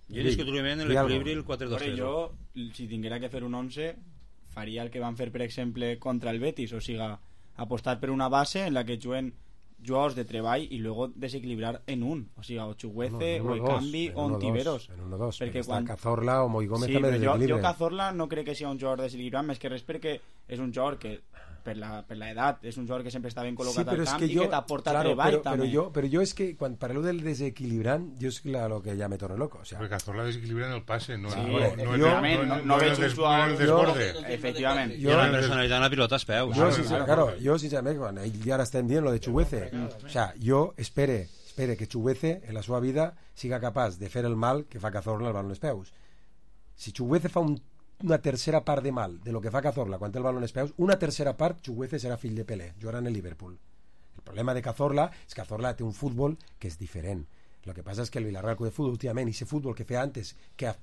Jo discutiblement l'equilibri el quatre dos zero. Jo, si tinguera que fer un onze, faria el que van fer, per exemple, contra el Betis, o sigui, apostar per una base en la que juguen jugadors de treball i luego desequilibrar en un, o sigui, o Chuguece, no, no, o el dos, Canvi, o Ontiveros. En uno dos, perquè perquè quan... està Cazorla o Moi Gómez sí, també desequilibren. Jo, jo Cazorla no crec que sigui un jugador desequilibrat, més que res perquè és un jugador que per la, per la edat és un jugador que sempre està ben col·locat sí, al camp que jo, i que t'aporta claro, treball però, també. Però jo, però jo és que quan parlo del desequilibrant, jo és lo que ja me torno loco. O sea, perquè Cazorla desequilibra en el passe, no, sí, no, no, no, jo, no, no, no veig un jugador el desborde. Efectivament. Jo, la personalitat en la pilota als peus. Jo, sincer, claro, jo sincerament, quan ell ara estem dient lo de Chuguece, o sea, jo espere, espere que Chuguece en la seva vida siga capaç de fer el mal que fa Cazorla al balón als peus. Si Chuguece fa un una tercera part de mal de lo que fa Cazorla quan té el balón als peus, una tercera part Chuguece serà fill de Pelé, jugarà en el Liverpool. El problema de Cazorla és que Cazorla té un futbol que és diferent. Lo que passa és que el Villarreal Club de Futbol últimament, i ese futbol que feia antes que, a,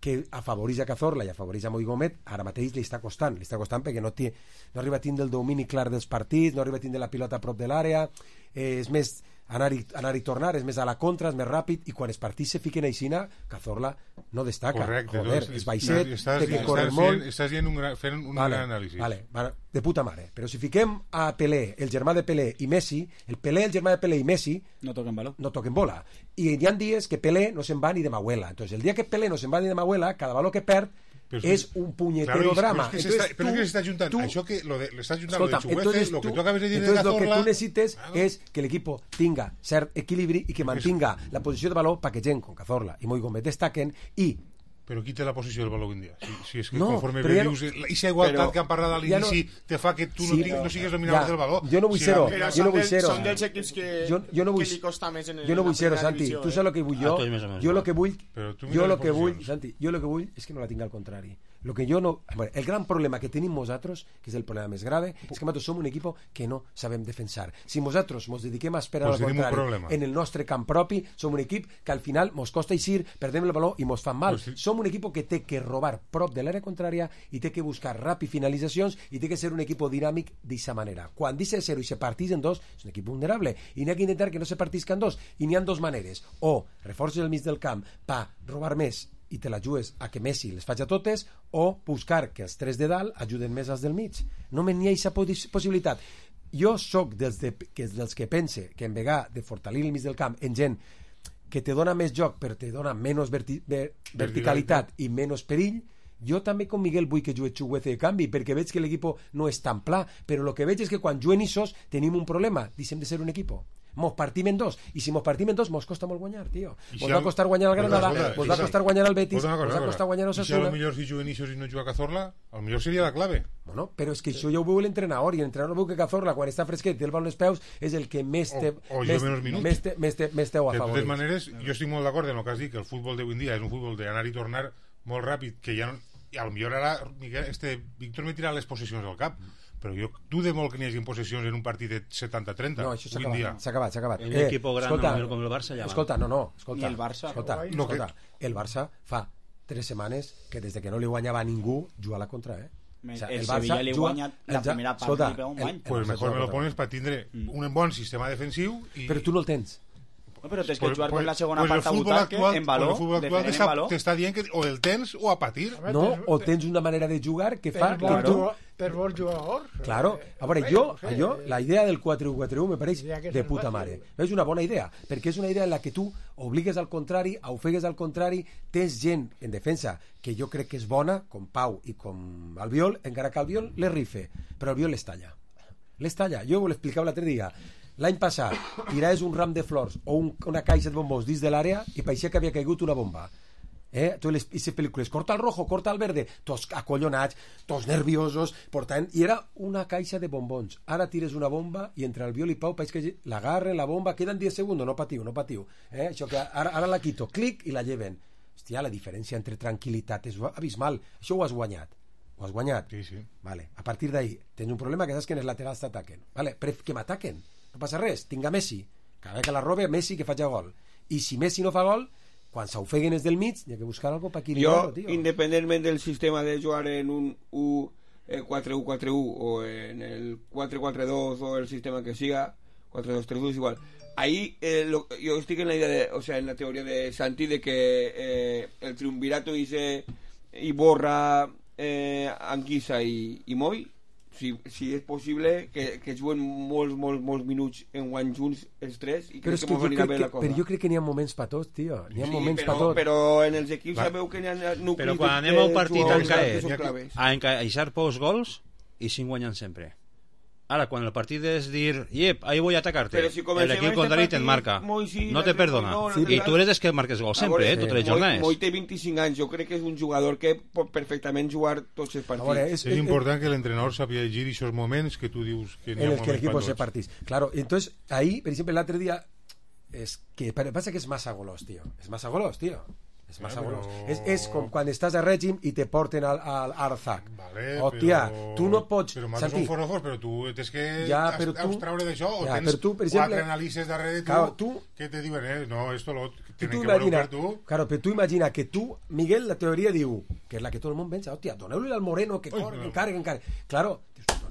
que afavoreix a Cazorla i afavoreix a Moi Gómez, ara mateix li està costant li està costant perquè no, té, no arriba a tindre el domini clar dels partits, no arriba a tindre la pilota a prop de l'àrea, eh, és més anar-hi anar i tornar, és més a la contra, és més ràpid, i quan els partits se fiquen aixina, Cazorla no destaca. Correcte, joder, doncs, és baixet, estàs, té que estàs, córrer estàs molt. Fent, estàs fent un gran, fent un vale, gran anàlisi. Vale, vale, de puta mare. Però si fiquem a Pelé, el germà de Pelé i Messi, el Pelé, el germà de Pelé i Messi no toquen baló. No toquen bola. I hi ha dies que Pelé no se'n va ni de Mahuela. Entonces, el dia que Pelé no se'n va ni de Mahuela, cada baló que perd Pero és un puñetero claro, drama. Pero es que entonces, se está, pero tú, es que se está juntando. Tú, Això que lo de, le estás juntando escolta, de Chuguece, lo que tú acabes de dir de Cazorla. Entonces, lo que tú necessites ah, és que l'equip tinga cert equilibri i que mantinga la posició de valor perquè gent com Cazorla i Moi Gómez destaquen i però qui té la posició del valor avui en dia? Si, si és que no, conforme ve, no, dius, aquesta igualtat que han parlat a l'inici ja no, te fa que tu sí, no, tinc, no sigues dominador ja, del valor. Jo no vull ser-ho, però jo no vull ser-ho. Són dels equips que, jo, jo no vull, que li costa més en el, jo no vull ser-ho, la Santi. divisió, Tu saps el que vull jo? Ah, Jo el que vull, jo el que vull, posicions. Santi, jo el que vull és que no la tinga al contrari. Lo que yo no, bueno, el gran problema que tenim nosaltres, que és el problema més grave, és que nosaltres som un equip que no sabem defensar. Si nosaltres ens dediquem a esperar pues al contrari en el nostre camp propi, som un equip que al final ens costa eixir, perdem el valor i ens fan mal. Pues sí. Som un equip que té que robar prop de l'àrea contrària i té que buscar ràpid finalitzacions i té que ser un equip dinàmic d'aquesta manera. Quan deixa de ser-ho i se partís en dos, és un equip vulnerable i n'hi ha que intentar que no se partisca en dos. I n'hi ha dos maneres. O reforces el mig del camp per robar més i te la jugues a que Messi les faci a totes, o buscar que els tres de dalt ajuden més als del mig. No me n'hi ha aquesta possibilitat. Jo sóc dels, de, que, dels que pense que en vegà de fortalir el mig del camp en gent que te dona més joc però te dona menys verti, ver, verticalitat i menys perill. Jo també com Miguel vull que jugui Chuguece de canvi perquè veig que l'equip no és tan pla, però el que veig és que quan juguen issos tenim un problema, deixem de ser un equip. Mos partim en dos, i si mos partim en dos mos costa molt guanyar, tio. Mos va costar guanyar el Granada, mos va costar guanyar el Betis, mos va costar guanyar el Osasuna. I si a lo millor si juguen issos i no juga Cazorla, a lo millor seria la clave. Bueno, però és que això ja ho veu l'entrenador, i l'entrenador veu que Cazorla, quan està fresquet i té el baló als peus, és el que més té o, o més, més té, més té, més té ho a favor. De totes maneres, jo estic molt d'acord en el que has dit, que el futbol d'avui en dia és un futbol d'anar i tornar molt ràpid, que ja no, i a lo millor ara Miguel, este, Víctor me tira les possessions al cap, però jo dude molt que n'hi hagi possessions en un partit de setanta trenta. No, això s'ha acabat, s'ha acabat, s'ha acabat. Un eh, equip gran escolta, com el Barça ja va. Escolta, no, no, escolta. I el Barça? Escolta, No, escolta que... el Barça fa tres setmanes que des de que no li guanyava a ningú juga a la contra, eh? O sea, el, el Barça li guanya la ja, primera part escolta, li un bany. Pues mejor me lo pones para tindre mm. un bon sistema defensiu i... Però tu no el tens. No, però tens que jugar pues, con la segona pues part a butaque en valor, el futbol actual t'està dient que o el tens o a patir. No, o tens una manera de jugar que fa... Per que tu... per bons jugadors. Claro, a veure, jo, jo, la idea del quatre u quatre u me pareix de puta mare. És una bona idea, perquè és una idea en la que tu obligues al contrari, ofegues al contrari, tens gent en defensa que jo crec que és bona, com Pau i com Albiol, encara que Albiol les rife, però Albiol les talla. Les talla. Jo ho l'explicava l'altre dia. L'any passat tiraves un ram de flors o un, una caixa de bombons dins de l'àrea i pareixia que havia caigut una bomba. Eh? Tu les, les pel·lícules, corta el rojo, corta el verde, tots acollonats, tots nerviosos, portant, i era una caixa de bombons. Ara tires una bomba i entre el Biol i Pau pareix que l'agarren, la bomba, queden diez segons, no patiu, no patiu. Eh? Això que ara, ara la quito, clic i la lleven. Hòstia, la diferència entre tranquil·litat és abismal. Això ho has guanyat. Ho has guanyat? Sí, sí. Vale. A partir d'ahí, tens un problema que saps que en els laterals t'ataquen. Vale. Però que m'ataquen. No passa res, tinc a Messi. Cada vegada que la robe, Messi que faci gol. I si Messi no fa gol, quan s'ofeguen els del mig, hi ha que buscar algo per equilibrar-ho, jo, tio. Independentment del sistema de jugar en un quatre u quatre u o en el quatre quatre dos o el sistema que siga, quatre dos tres u és igual, ahí eh, lo, yo estoy en la idea de, o sea, en la teoría de Santi de que eh, el triunvirato dice Iborra, eh, Anguissa i, i Moi, si, si és possible que, que juguen molts, molts, molts minuts en guany junts els tres i crec que, que mos anirà bé la cosa. Però jo crec que n'hi ha moments per tots, tio. N'hi ha sí, moments però, per tots. Però en els equips Va. sabeu que n'hi ha nuclis però quan anem a un partit a encaixar a encaixar pocs gols i cinc guanyen sempre. Ara, quan el partit és dir, yep, ahí voy a atacarte, si el equip contrari te'n marca, sí, no te perdona. No, no, sí, I tu eres des que marques gol sempre, veure, eh, totes les jornades. Moi té vint-i-cinc anys, jo crec que és un jugador que pot perfectament jugar tots els partits. Veure, és, és important que l'entrenador sàpiga llegir aquests moments que tu dius que n'hi ha moments que l'equip se partís. Claro, entonces, ahí, per exemple, l'altre dia, es que passa que és massa golós, tio. És massa golós, tio. És massa però... és, és com quan estàs a règim i te porten al, al Arzac. Vale, hòstia, però... tu no pots... Però nosaltres som forofos, però tu tens que ja, però tu... abstraure d'això, o ja, tens tu, per exemple, quatre anàlisis darrere tu, claro, tu que te diuen, eh, no, esto lo tenen tu que veure per tu. Claro, però tu imagina que tu, Miguel, la teoria diu, que és la que tot el món pensa, hòstia, doneu-li al Moreno que corre, que encare, que encare. Claro,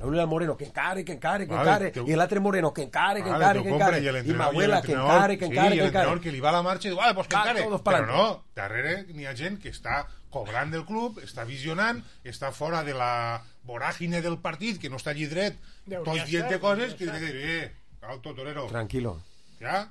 doneu-li al Moreno que encare, que encare, que encare, i l'altre Moreno que encare, que encare, que encare, i Mahuela que encare, que encare, que encare. Sí, i l'entrenador que li va a la marxa i diu, ah, pues que encare. Però no, darrere n'hi ha gent que està cobrant del club, està visionant, està fora de la voràgine del partit, que no està allí dret, tots dient coses, que diu, eh, alto, torero. Tranquilo. Ja?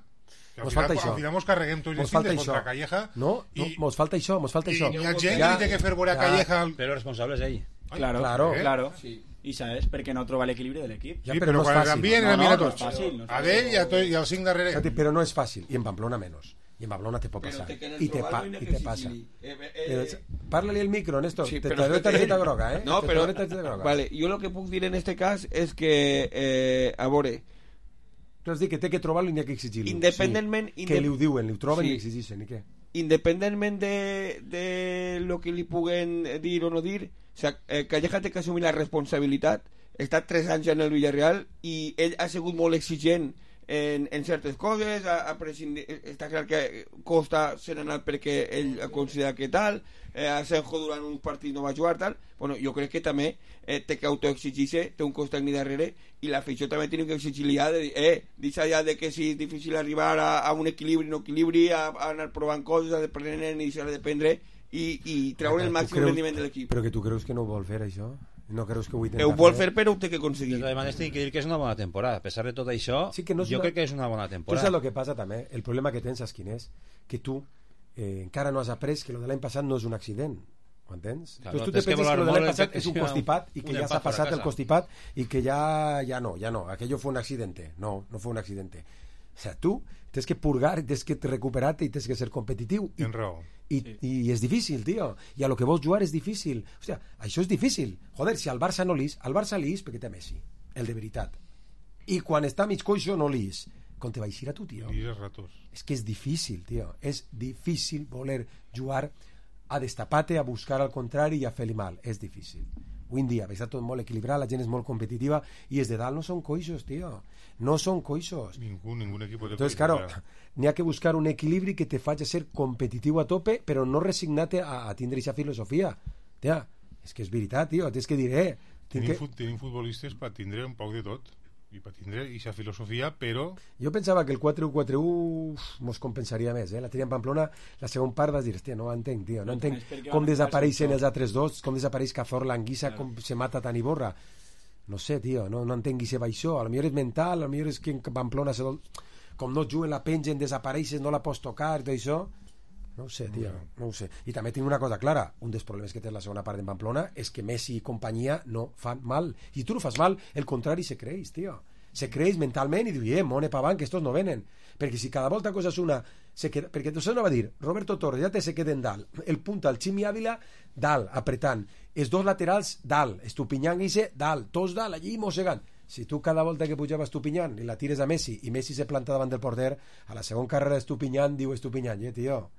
Que mos falta això. Al final mos carreguem tots els cintes contra Calleja. No, no, mos falta això, mos falta això. I hi ha gent que li té que fer veure a Calleja... Però el responsable és ell. Claro, claro, claro. I sabes, perquè no troba l'equilibri de l'equip. Ja, però no és fàcil. No, no, no és fàcil. A d'ell i al cinc darrere. Però no és fàcil, i en Pamplona menys. I en Pamplona te pot passar. I te, pa, i te passa. Eh, eh, Parla-li el micro, Néstor. Sí, te doy tarjeta groga, eh? No, però... Vale, jo el que puc dir en este cas és que, eh, a veure... Tu has dit que té que trobar-lo i n'hi ha que exigir-lo. Independentment... Sí, que li ho diuen, li ho troben sí. I exigeixen, i què? Independentment de, de lo que li puguen dir o no dir, o sea, eh, Calleja té que assumir la responsabilitat. Està tres anys en el Villarreal i ell ha sigut molt exigent en, en certes coses, ha, ha prescindir, està clar que Costa se n'ha anat perquè ell ha considerat que tal, eh, Asenjo durant un partit no va jugar tal. Bueno, jo crec que també eh, té que autoexigir-se, té un Costa ni darrere, i l'afició també té que exigir-li ja de dir, eh, deixa ja de que si és difícil arribar a, a un equilibri no equilibri, a, a anar provant coses, a dependre i deixar de dependre i, i treure el màxim creus, rendiment de l'equip. Però que tu creus que no ho vol fer això? No creus que ho intenta ho vol fer, però ho té que aconseguir. Además, tinc que dir que és una bona temporada. A pesar de tot això, sí que no jo una... crec que és una bona temporada. Tu saps el que passa també? El problema que tens, saps quin és? Que tu eh, encara no has après que lo de l'any passat no és un accident. Ho entens? Claro, tu te penses que, que lo de l'any passat és un constipat i que ja s'ha passat el constipat i que ja, ja no, ja no. Aquello fue un accidente. No, no fue un accidente. O sea, tu tens que purgar, tens que recuperar-te i tens que ser competitiu. I, en raó. I, sí. I és difícil, tio. I a lo que vols jugar és difícil. O sea, això és difícil. Joder, si al Barça no l'ís, al Barça l'ís perquè té Messi, el de veritat. I quan està mig coixo no l'ís. Com te va eixir a tu, tio? L'ís els ratos. És que és difícil, tio. És difícil voler jugar a destapar-te, a buscar al contrari i a fer-li mal. És difícil. Avui en dia està tot molt equilibrat, la gent és molt competitiva i els de dalt no són coixos, tio. No són coixos. Ningú, ningú equip de Entonces, claro, n'hi ha que buscar un equilibri que te faci ser competitiu a tope, però no resignat-te a, a tindre aquesta filosofia. Tia, és que és veritat, tio, tens que dir, eh... Tenim, que... fut, tenim futbolistes per tindre un poc de tot i per tindre aquesta filosofia, però... Jo pensava que el quatre u quatre u mos compensaria més, eh? La tenia en Pamplona, la segona part vas dir, hòstia, no ho entenc, tio, no entenc com desapareixen els altres dos, com desapareix Cazorla, Anguissa, com se mata Tan Iborra. No sé, tio, no, no entenc si va això. A lo millor és mental, a lo millor és que en Pamplona se do... com no juguen la pengen, desapareixes, no la pots tocar, tot això. No ho sé, tio, no ho sé. I també tinc una cosa clara, un dels problemes que té la segona part en Pamplona és que Messi i companyia no fan mal. I tu no fas mal, el contrari se creix, tio. Se creix mentalment i diu, eh, mone pa avant, que estos no venen. Perquè si cada volta coses una... Se queda... Perquè tu no va dir, Roberto Torres, ja te se queden dalt. El punta, el Ximi Ávila, dalt, apretant. Els dos laterals, dalt. Estupinyant i se, dalt. Tots dalt, allí mossegant. Si tu cada volta que pujava Estupinyant i la tires a Messi i Messi se planta davant del porter, a la segona carrera Estupinyant diu Estupinyant, eh, tio...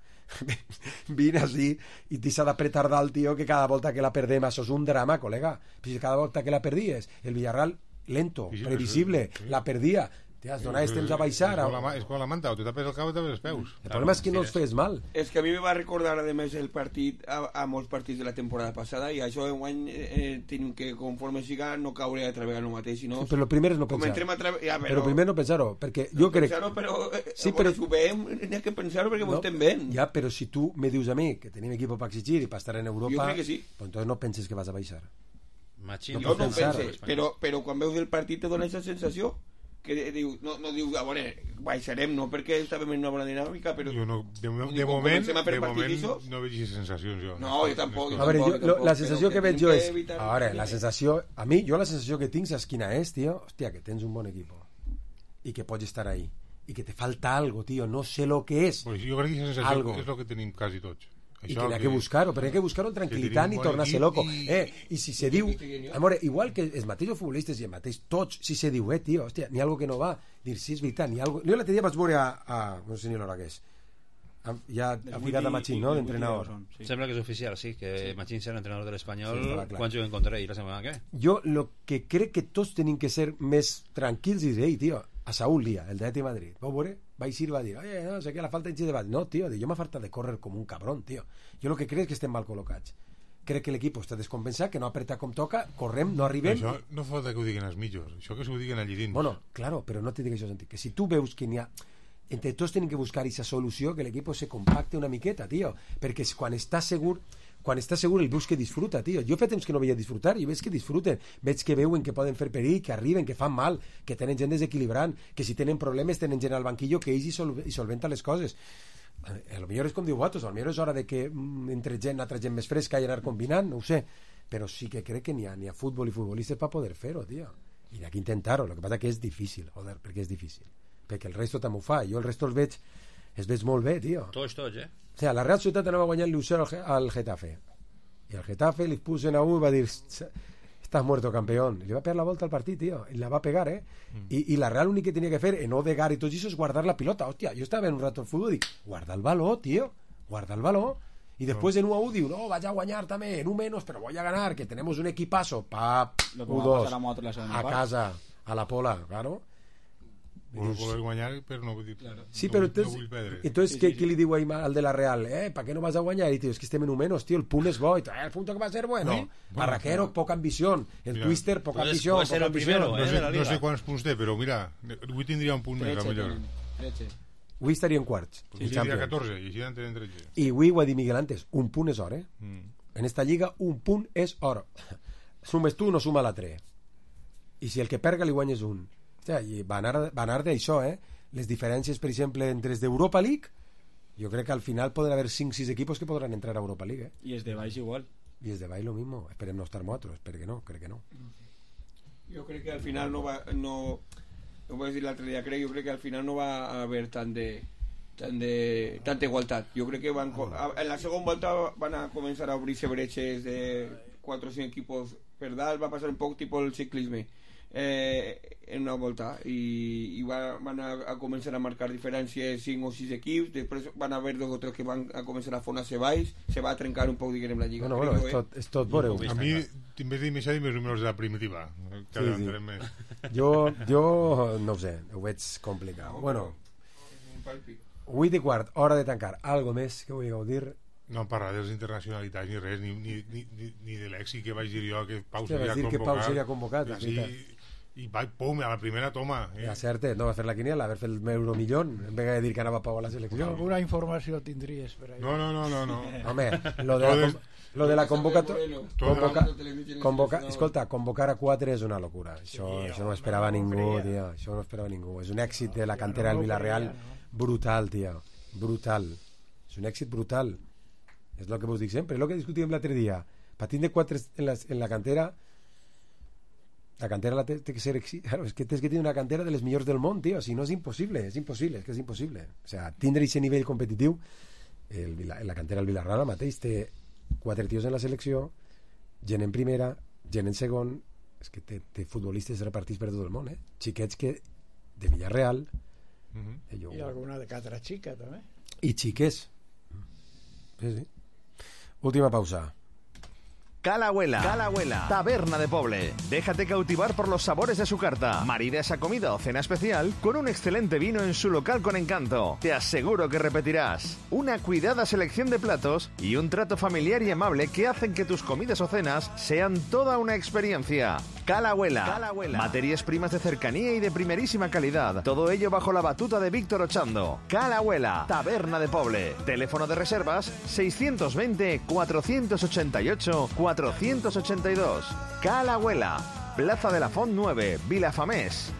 vine així i t'hi s'ha d'apretar dalt, tio, que cada volta que la perdem això és un drama, col·lega. Si cada volta que la perdies el Villarreal lento, previsible, la perdia, T'has donat temps a baixar. És com la, és com la manta, o te tapes el cap o te tapes els peus. El problema és que no els fes mal. És que a mi me va recordar, a més, el partit a, a molts partits de la temporada passada, i això en guany eh, tenim que, conforme siga, no caure a través el mateix, sinó... Sí, però el primer és no pensar. Tra... Ja, però... però primer no pensar-ho, perquè jo no crec... Pensar-ho, però... Eh, sí, però... Si ho veiem, n'hi ha que pensar-ho perquè no, ho estem veient. Ja, però si tu me dius a mi que tenim equip per exigir i per estar en Europa... Jo crec que sí. Pues entonces no penses que vas a baixar. Machín, no jo no ho penses, però, però quan veus el partit te dona aquesta sensació que diu, no, no diu, a veure, baixarem, no perquè estàvem en una bona dinàmica, però... Jo no, de, de, de moment, de moment no veig sensacions, jo. No, jo tampoc. A veure, jo, lo, la sensació que, que veig jo és... Evitar... A veure, la sensació... A mi, jo la sensació que tinc, saps quina és, tio? Hòstia, que tens un bon equip i que pots estar ahí. I que te falta algo, tio. No sé lo que és. Pues jo crec que aquesta sensació algo. És el que tenim quasi tots. I que n'hi ha que buscar-ho, però hi ha que buscar-ho en tranquil·litat i tornar-se loco. I... Eh, I si se diu... Amore, igual que els mateixos futbolistes i els mateixos tots, si se diu, eh, tio, hòstia, n'hi ha algo que no va, dir, sí, és veritat, n'hi ha algo... Jo l'altre dia vaig veure a... a no sé ni l'hora que és. A, ja ha ficat a Machín, no?, d'entrenador. Sí. Sembla que és oficial, sí, que sí. Machín serà entrenador de l'Espanyol sí, quan juguen contra ell la setmana que ve. Jo lo que crec que tots tenim que ser més tranquils i dir, ei, tio, a Saúl Díaz, el d'Atleti Madrid, vau veure? Va eixir i va dir, oye, no sé què, la falta de debat. No, tio, jo m'ha falta de córrer com un cabrón, tio. Jo el que crec és que estem mal col·locats. Crec que l'equip està descompensat, que no apreta com toca, correm, no arribem... Això no falta que ho diguin els mitjos, això que s'ho diguin allí dins. Bueno, claro, però no te dic això sentit. Que si tu veus que n'hi ha... Entre tots tenim que buscar aquesta solució, que l'equip se compacte una miqueta, tio. Perquè quan està segur... quan està segur el veus que disfruta, tio. Jo fa temps que no veia disfrutar i veig que disfruten, veig que veuen que poden fer perill, que arriben, que fan mal, que tenen gent desequilibrant, que si tenen problemes tenen gent al banquillo que ells hi, sol hi solventa les coses. A lo millor és com diu Botos, a lo millor és hora de que mm, entre gent, altra gent més fresca i anar combinant, no ho sé, però sí que crec que n'hi ha, n'hi ha futbol i futbolistes per poder fer-ho, tio. I n'hi ha que intentar-ho, el que passa que és difícil, joder, perquè és difícil. Perquè el resto també ho fa, jo el resto els veig, els veig molt bé, tio. Tots, tots, eh? O sigui, la Real Societat anava guanyant l'U zero al Getafe. Y al Getafe le pusen a uno y va a decir, estás muerto, campeón. Y le va a pegar la vuelta al partido, tío. Y la va a pegar, ¿eh? Mm. Y, y la Real único que tenía que hacer, en Odegaard y todo eso, es guardar la pilota. Hostia, yo estaba en un rato el fútbol y digo, guarda el balón, tío. Guarda el balón. Y después no. en U A U digo, no, vaya a guañar también, en un menos, pero voy a ganar, que tenemos un equipazo. Pa, U dos, a, a casa, a la Pola, claro. Vol voler guanyar, però no vull dir... Claro. Sí, però entonces, no vull perdre. Entonces, sí, sí, què sí. li diu al de la Real? Eh, ¿para qué no vas a guanyar? I diu, es que estem en un menos, tío, el punt és bo. I eh, el punto que va a ser bueno. Sí? Barraquero, bueno, poca ambición. El mira, Twister, poca ambición. Poca ambición. Primero, no, sé, no sé quants punts té, però mira, avui tindria un punt més, a millor. Avui estaria en quarts. Sí, sí, tindria catorze, i així n'entenen tretze. I avui ho ha dit Miguel antes, un punt és or, eh? Mm. En esta lliga, un punt és or. Sumes tu, no suma l'altre. I si el que perga li guanyes un. O sigui, va anar, va anar d'això, eh? Les diferències, per exemple, entre els d'Europa League, jo crec que al final poden haver cinc o sis equipos que podran entrar a Europa League, eh? Y es de baix igual. Y es de baix lo mismo. Esperem no estar nosotros, espero que no, crec que no. Jo crec que al final no va... No, no voy a decir l'altre dia, crec, jo crec que al final no va a haver tant de... Tant de, tanta igualtat. Jo crec que van, en la segona volta van a començar a obrir-se bretxes de quatre o cinc equipos per dalt, va passar un poc tipus el ciclisme. Eh, en una volta i, i va, van a, a començar a marcar diferències cinc o sis equips, després van a haver dos o tres que van a començar a fonar-se baix, se va a trencar un poc, diguem, la lliga. Bueno, bueno, és tot, és tot veureu. A mi, en vez de més més números de la primitiva, que sí, sí. Més. Jo, jo no ho sé, ho veig complicat. No, bueno, vuit i quart, hora de tancar. Algo més que vulgueu dir? No parlar de les internacionalitats ni res, ni, ni, ni, ni de l'èxit que vaig dir jo que Pau seria convocat. Que Pau seria convocat, sí, i vaig, pum, a la primera toma. Eh? Ja, cert, no va fer la quiniela, haver fet el Euromillón, en vez de dir que anava Pau a la selecció. Alguna informació tindries per ahí. No, no, no, no. no. Home, lo de la, lo de la convocatòria... Convoca, convoca, escolta, convocar a quatre és una locura. Això, això no esperava ningú, tio. Això no esperava ningú. És un èxit de la cantera del Villarreal brutal, tio. Brutal. És un èxit brutal. És el que vos dic sempre, és el que discutíem l'altre dia. Patint de quatre en la, en la cantera, la cantera la té, té que ser claro, és que tens que tenir una cantera de les millors del món, tio, si no és impossible, és impossible, és que és impossible. O sea, tindre aquest nivell competitiu, el, la cantera del Villarreal mateix té quatre tios en la selecció, gent en primera, gent en segon, és que té, té futbolistes repartits per tot el món, eh? Xiquets que de Villarreal, mm-hmm. jo, i alguna de Catra Xica també, i xiques, sí, sí. Última pausa. Calahuela, Calahuela, taberna de Poble. Déjate cautivar por los sabores de su carta. Marida esa comida o cena especial con un excelente vino en su local con encanto. Te aseguro que repetirás. Una cuidada selección de platos y un trato familiar y amable que hacen que tus comidas o cenas sean toda una experiencia. Calahuela, Calahuela, materias primas de cercanía y de primerísima calidad. Todo ello bajo la batuta de Víctor Ochando. Calahuela, taberna de Poble. Teléfono de reservas seiscientos veinte, cuatrocientos ochenta y ocho, cuatrocientos ochenta y dos. Calahuela, Plaza de la Font nueve, Vilafamés.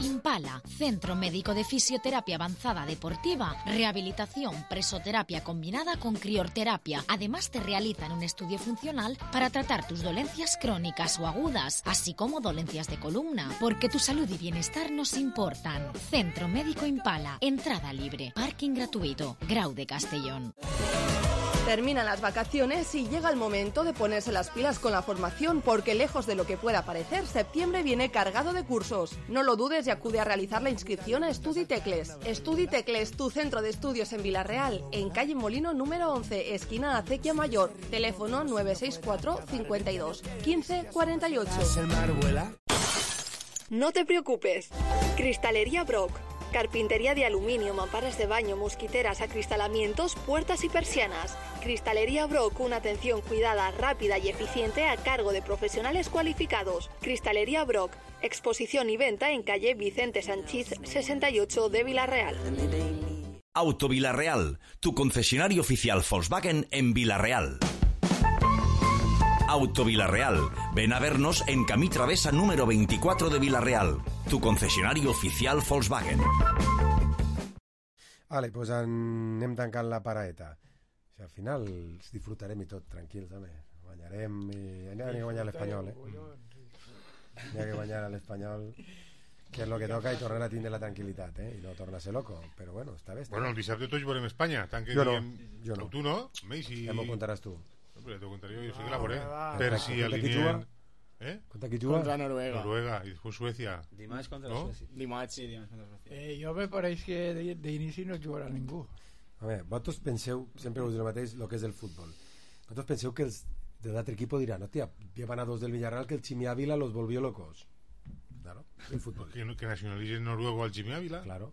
Impala, Centro Médico de Fisioterapia Avanzada Deportiva, rehabilitación, presoterapia combinada con criorterapia. Además te realizan un estudio funcional para tratar tus dolencias crónicas o agudas, así como dolencias de columna, porque tu salud y bienestar nos importan. Centro Médico Impala, entrada libre, parking gratuito, Grau de Castellón. Terminan las vacaciones y llega el momento de ponerse las pilas con la formación, porque lejos de lo que pueda parecer, septiembre viene cargado de cursos. No lo dudes y acude a realizar la inscripción a StudiTecles. StudiTecles, tu centro de estudios en Villarreal, en calle Molino número once, esquina Acequia Mayor. Teléfono nueve seis cuatro, cincuenta y dos, quince, cuarenta y ocho. No te preocupes. Cristalería Brock. Carpintería de aluminio, mamparas de baño, mosquiteras, acristalamientos, puertas y persianas. Cristalería Brock, una atención cuidada, rápida y eficiente a cargo de profesionales cualificados. Cristalería Brock, exposición y venta en calle Vicente Sanchís sesenta y ocho de Villarreal. Auto Villarreal, tu concesionario oficial Volkswagen en Villarreal. Auto Villarreal. Ven a vernos en Camí Travesa número veinticuatro de Villarreal, tu concesionario oficial Volkswagen. Vale, doncs anem tancant la paraeta. O sigui, al final els disfrutarem i tot, tranquils, també. Guanyarem i... N'hi ha que guanyar l'Espanyol, eh? N'hi ha que guanyar l'Espanyol, que és el que toca, i tornar a tindre la tranquil·litat, eh? I no tornar a ser loco, però bueno, està bé. Està bueno, bé. el dissabte tots veurem Espanya, tant que jo no, diem... jo no. Tu no? Messi... Ja m'ho contaràs tu. Hombre, te contaré yo, yo sí que la veuré. Ah, per si alineen... ¿Eh? ¿Contra qui juga? Contra Noruega. Noruega, y después Suecia. Dimarts contra ¿no? Suecia. Dimarts, sí, dimarts contra Suecia. Eh, jo me pareix que d'inici no jugarà ningú. A veure, vosaltres penseu, sempre us dic el mateix, el que és el futbol. Vosaltres penseu que els de l'altre equip diran, hòstia, llevan a dos del Villarreal que el Chimi Ávila los volvió locos. Claro, el fútbol. Que, que nacionalicen noruego al Chimi Ávila. Claro.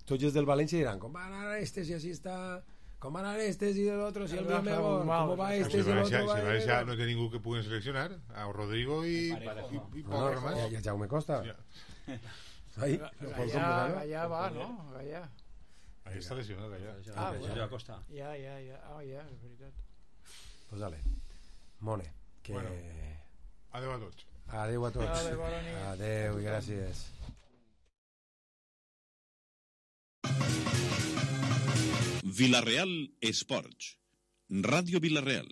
Tots els del València diran, com van a este si así está... Com van a estes y del otro, si el día mejor, ¿cómo va este si y el otro? Si Valencia no té ningú que puguen seleccionar, a Rodrigo y... y, y no, no, más. Ya, ya Jaume Costa. Ya. Ahí, Gallà, Gallà va, no? Gallà. Ahí està lesionat, Gallà. Ah, Gallà Costa. Ja, ja, ja. Ah, ja, és veritat. Pues dale. Mone, que... Bueno, adeu a tots. Adeu a tots. Adeu, bona nit. Adeu i gràcies. Villarreal Esports. Ràdio Villarreal.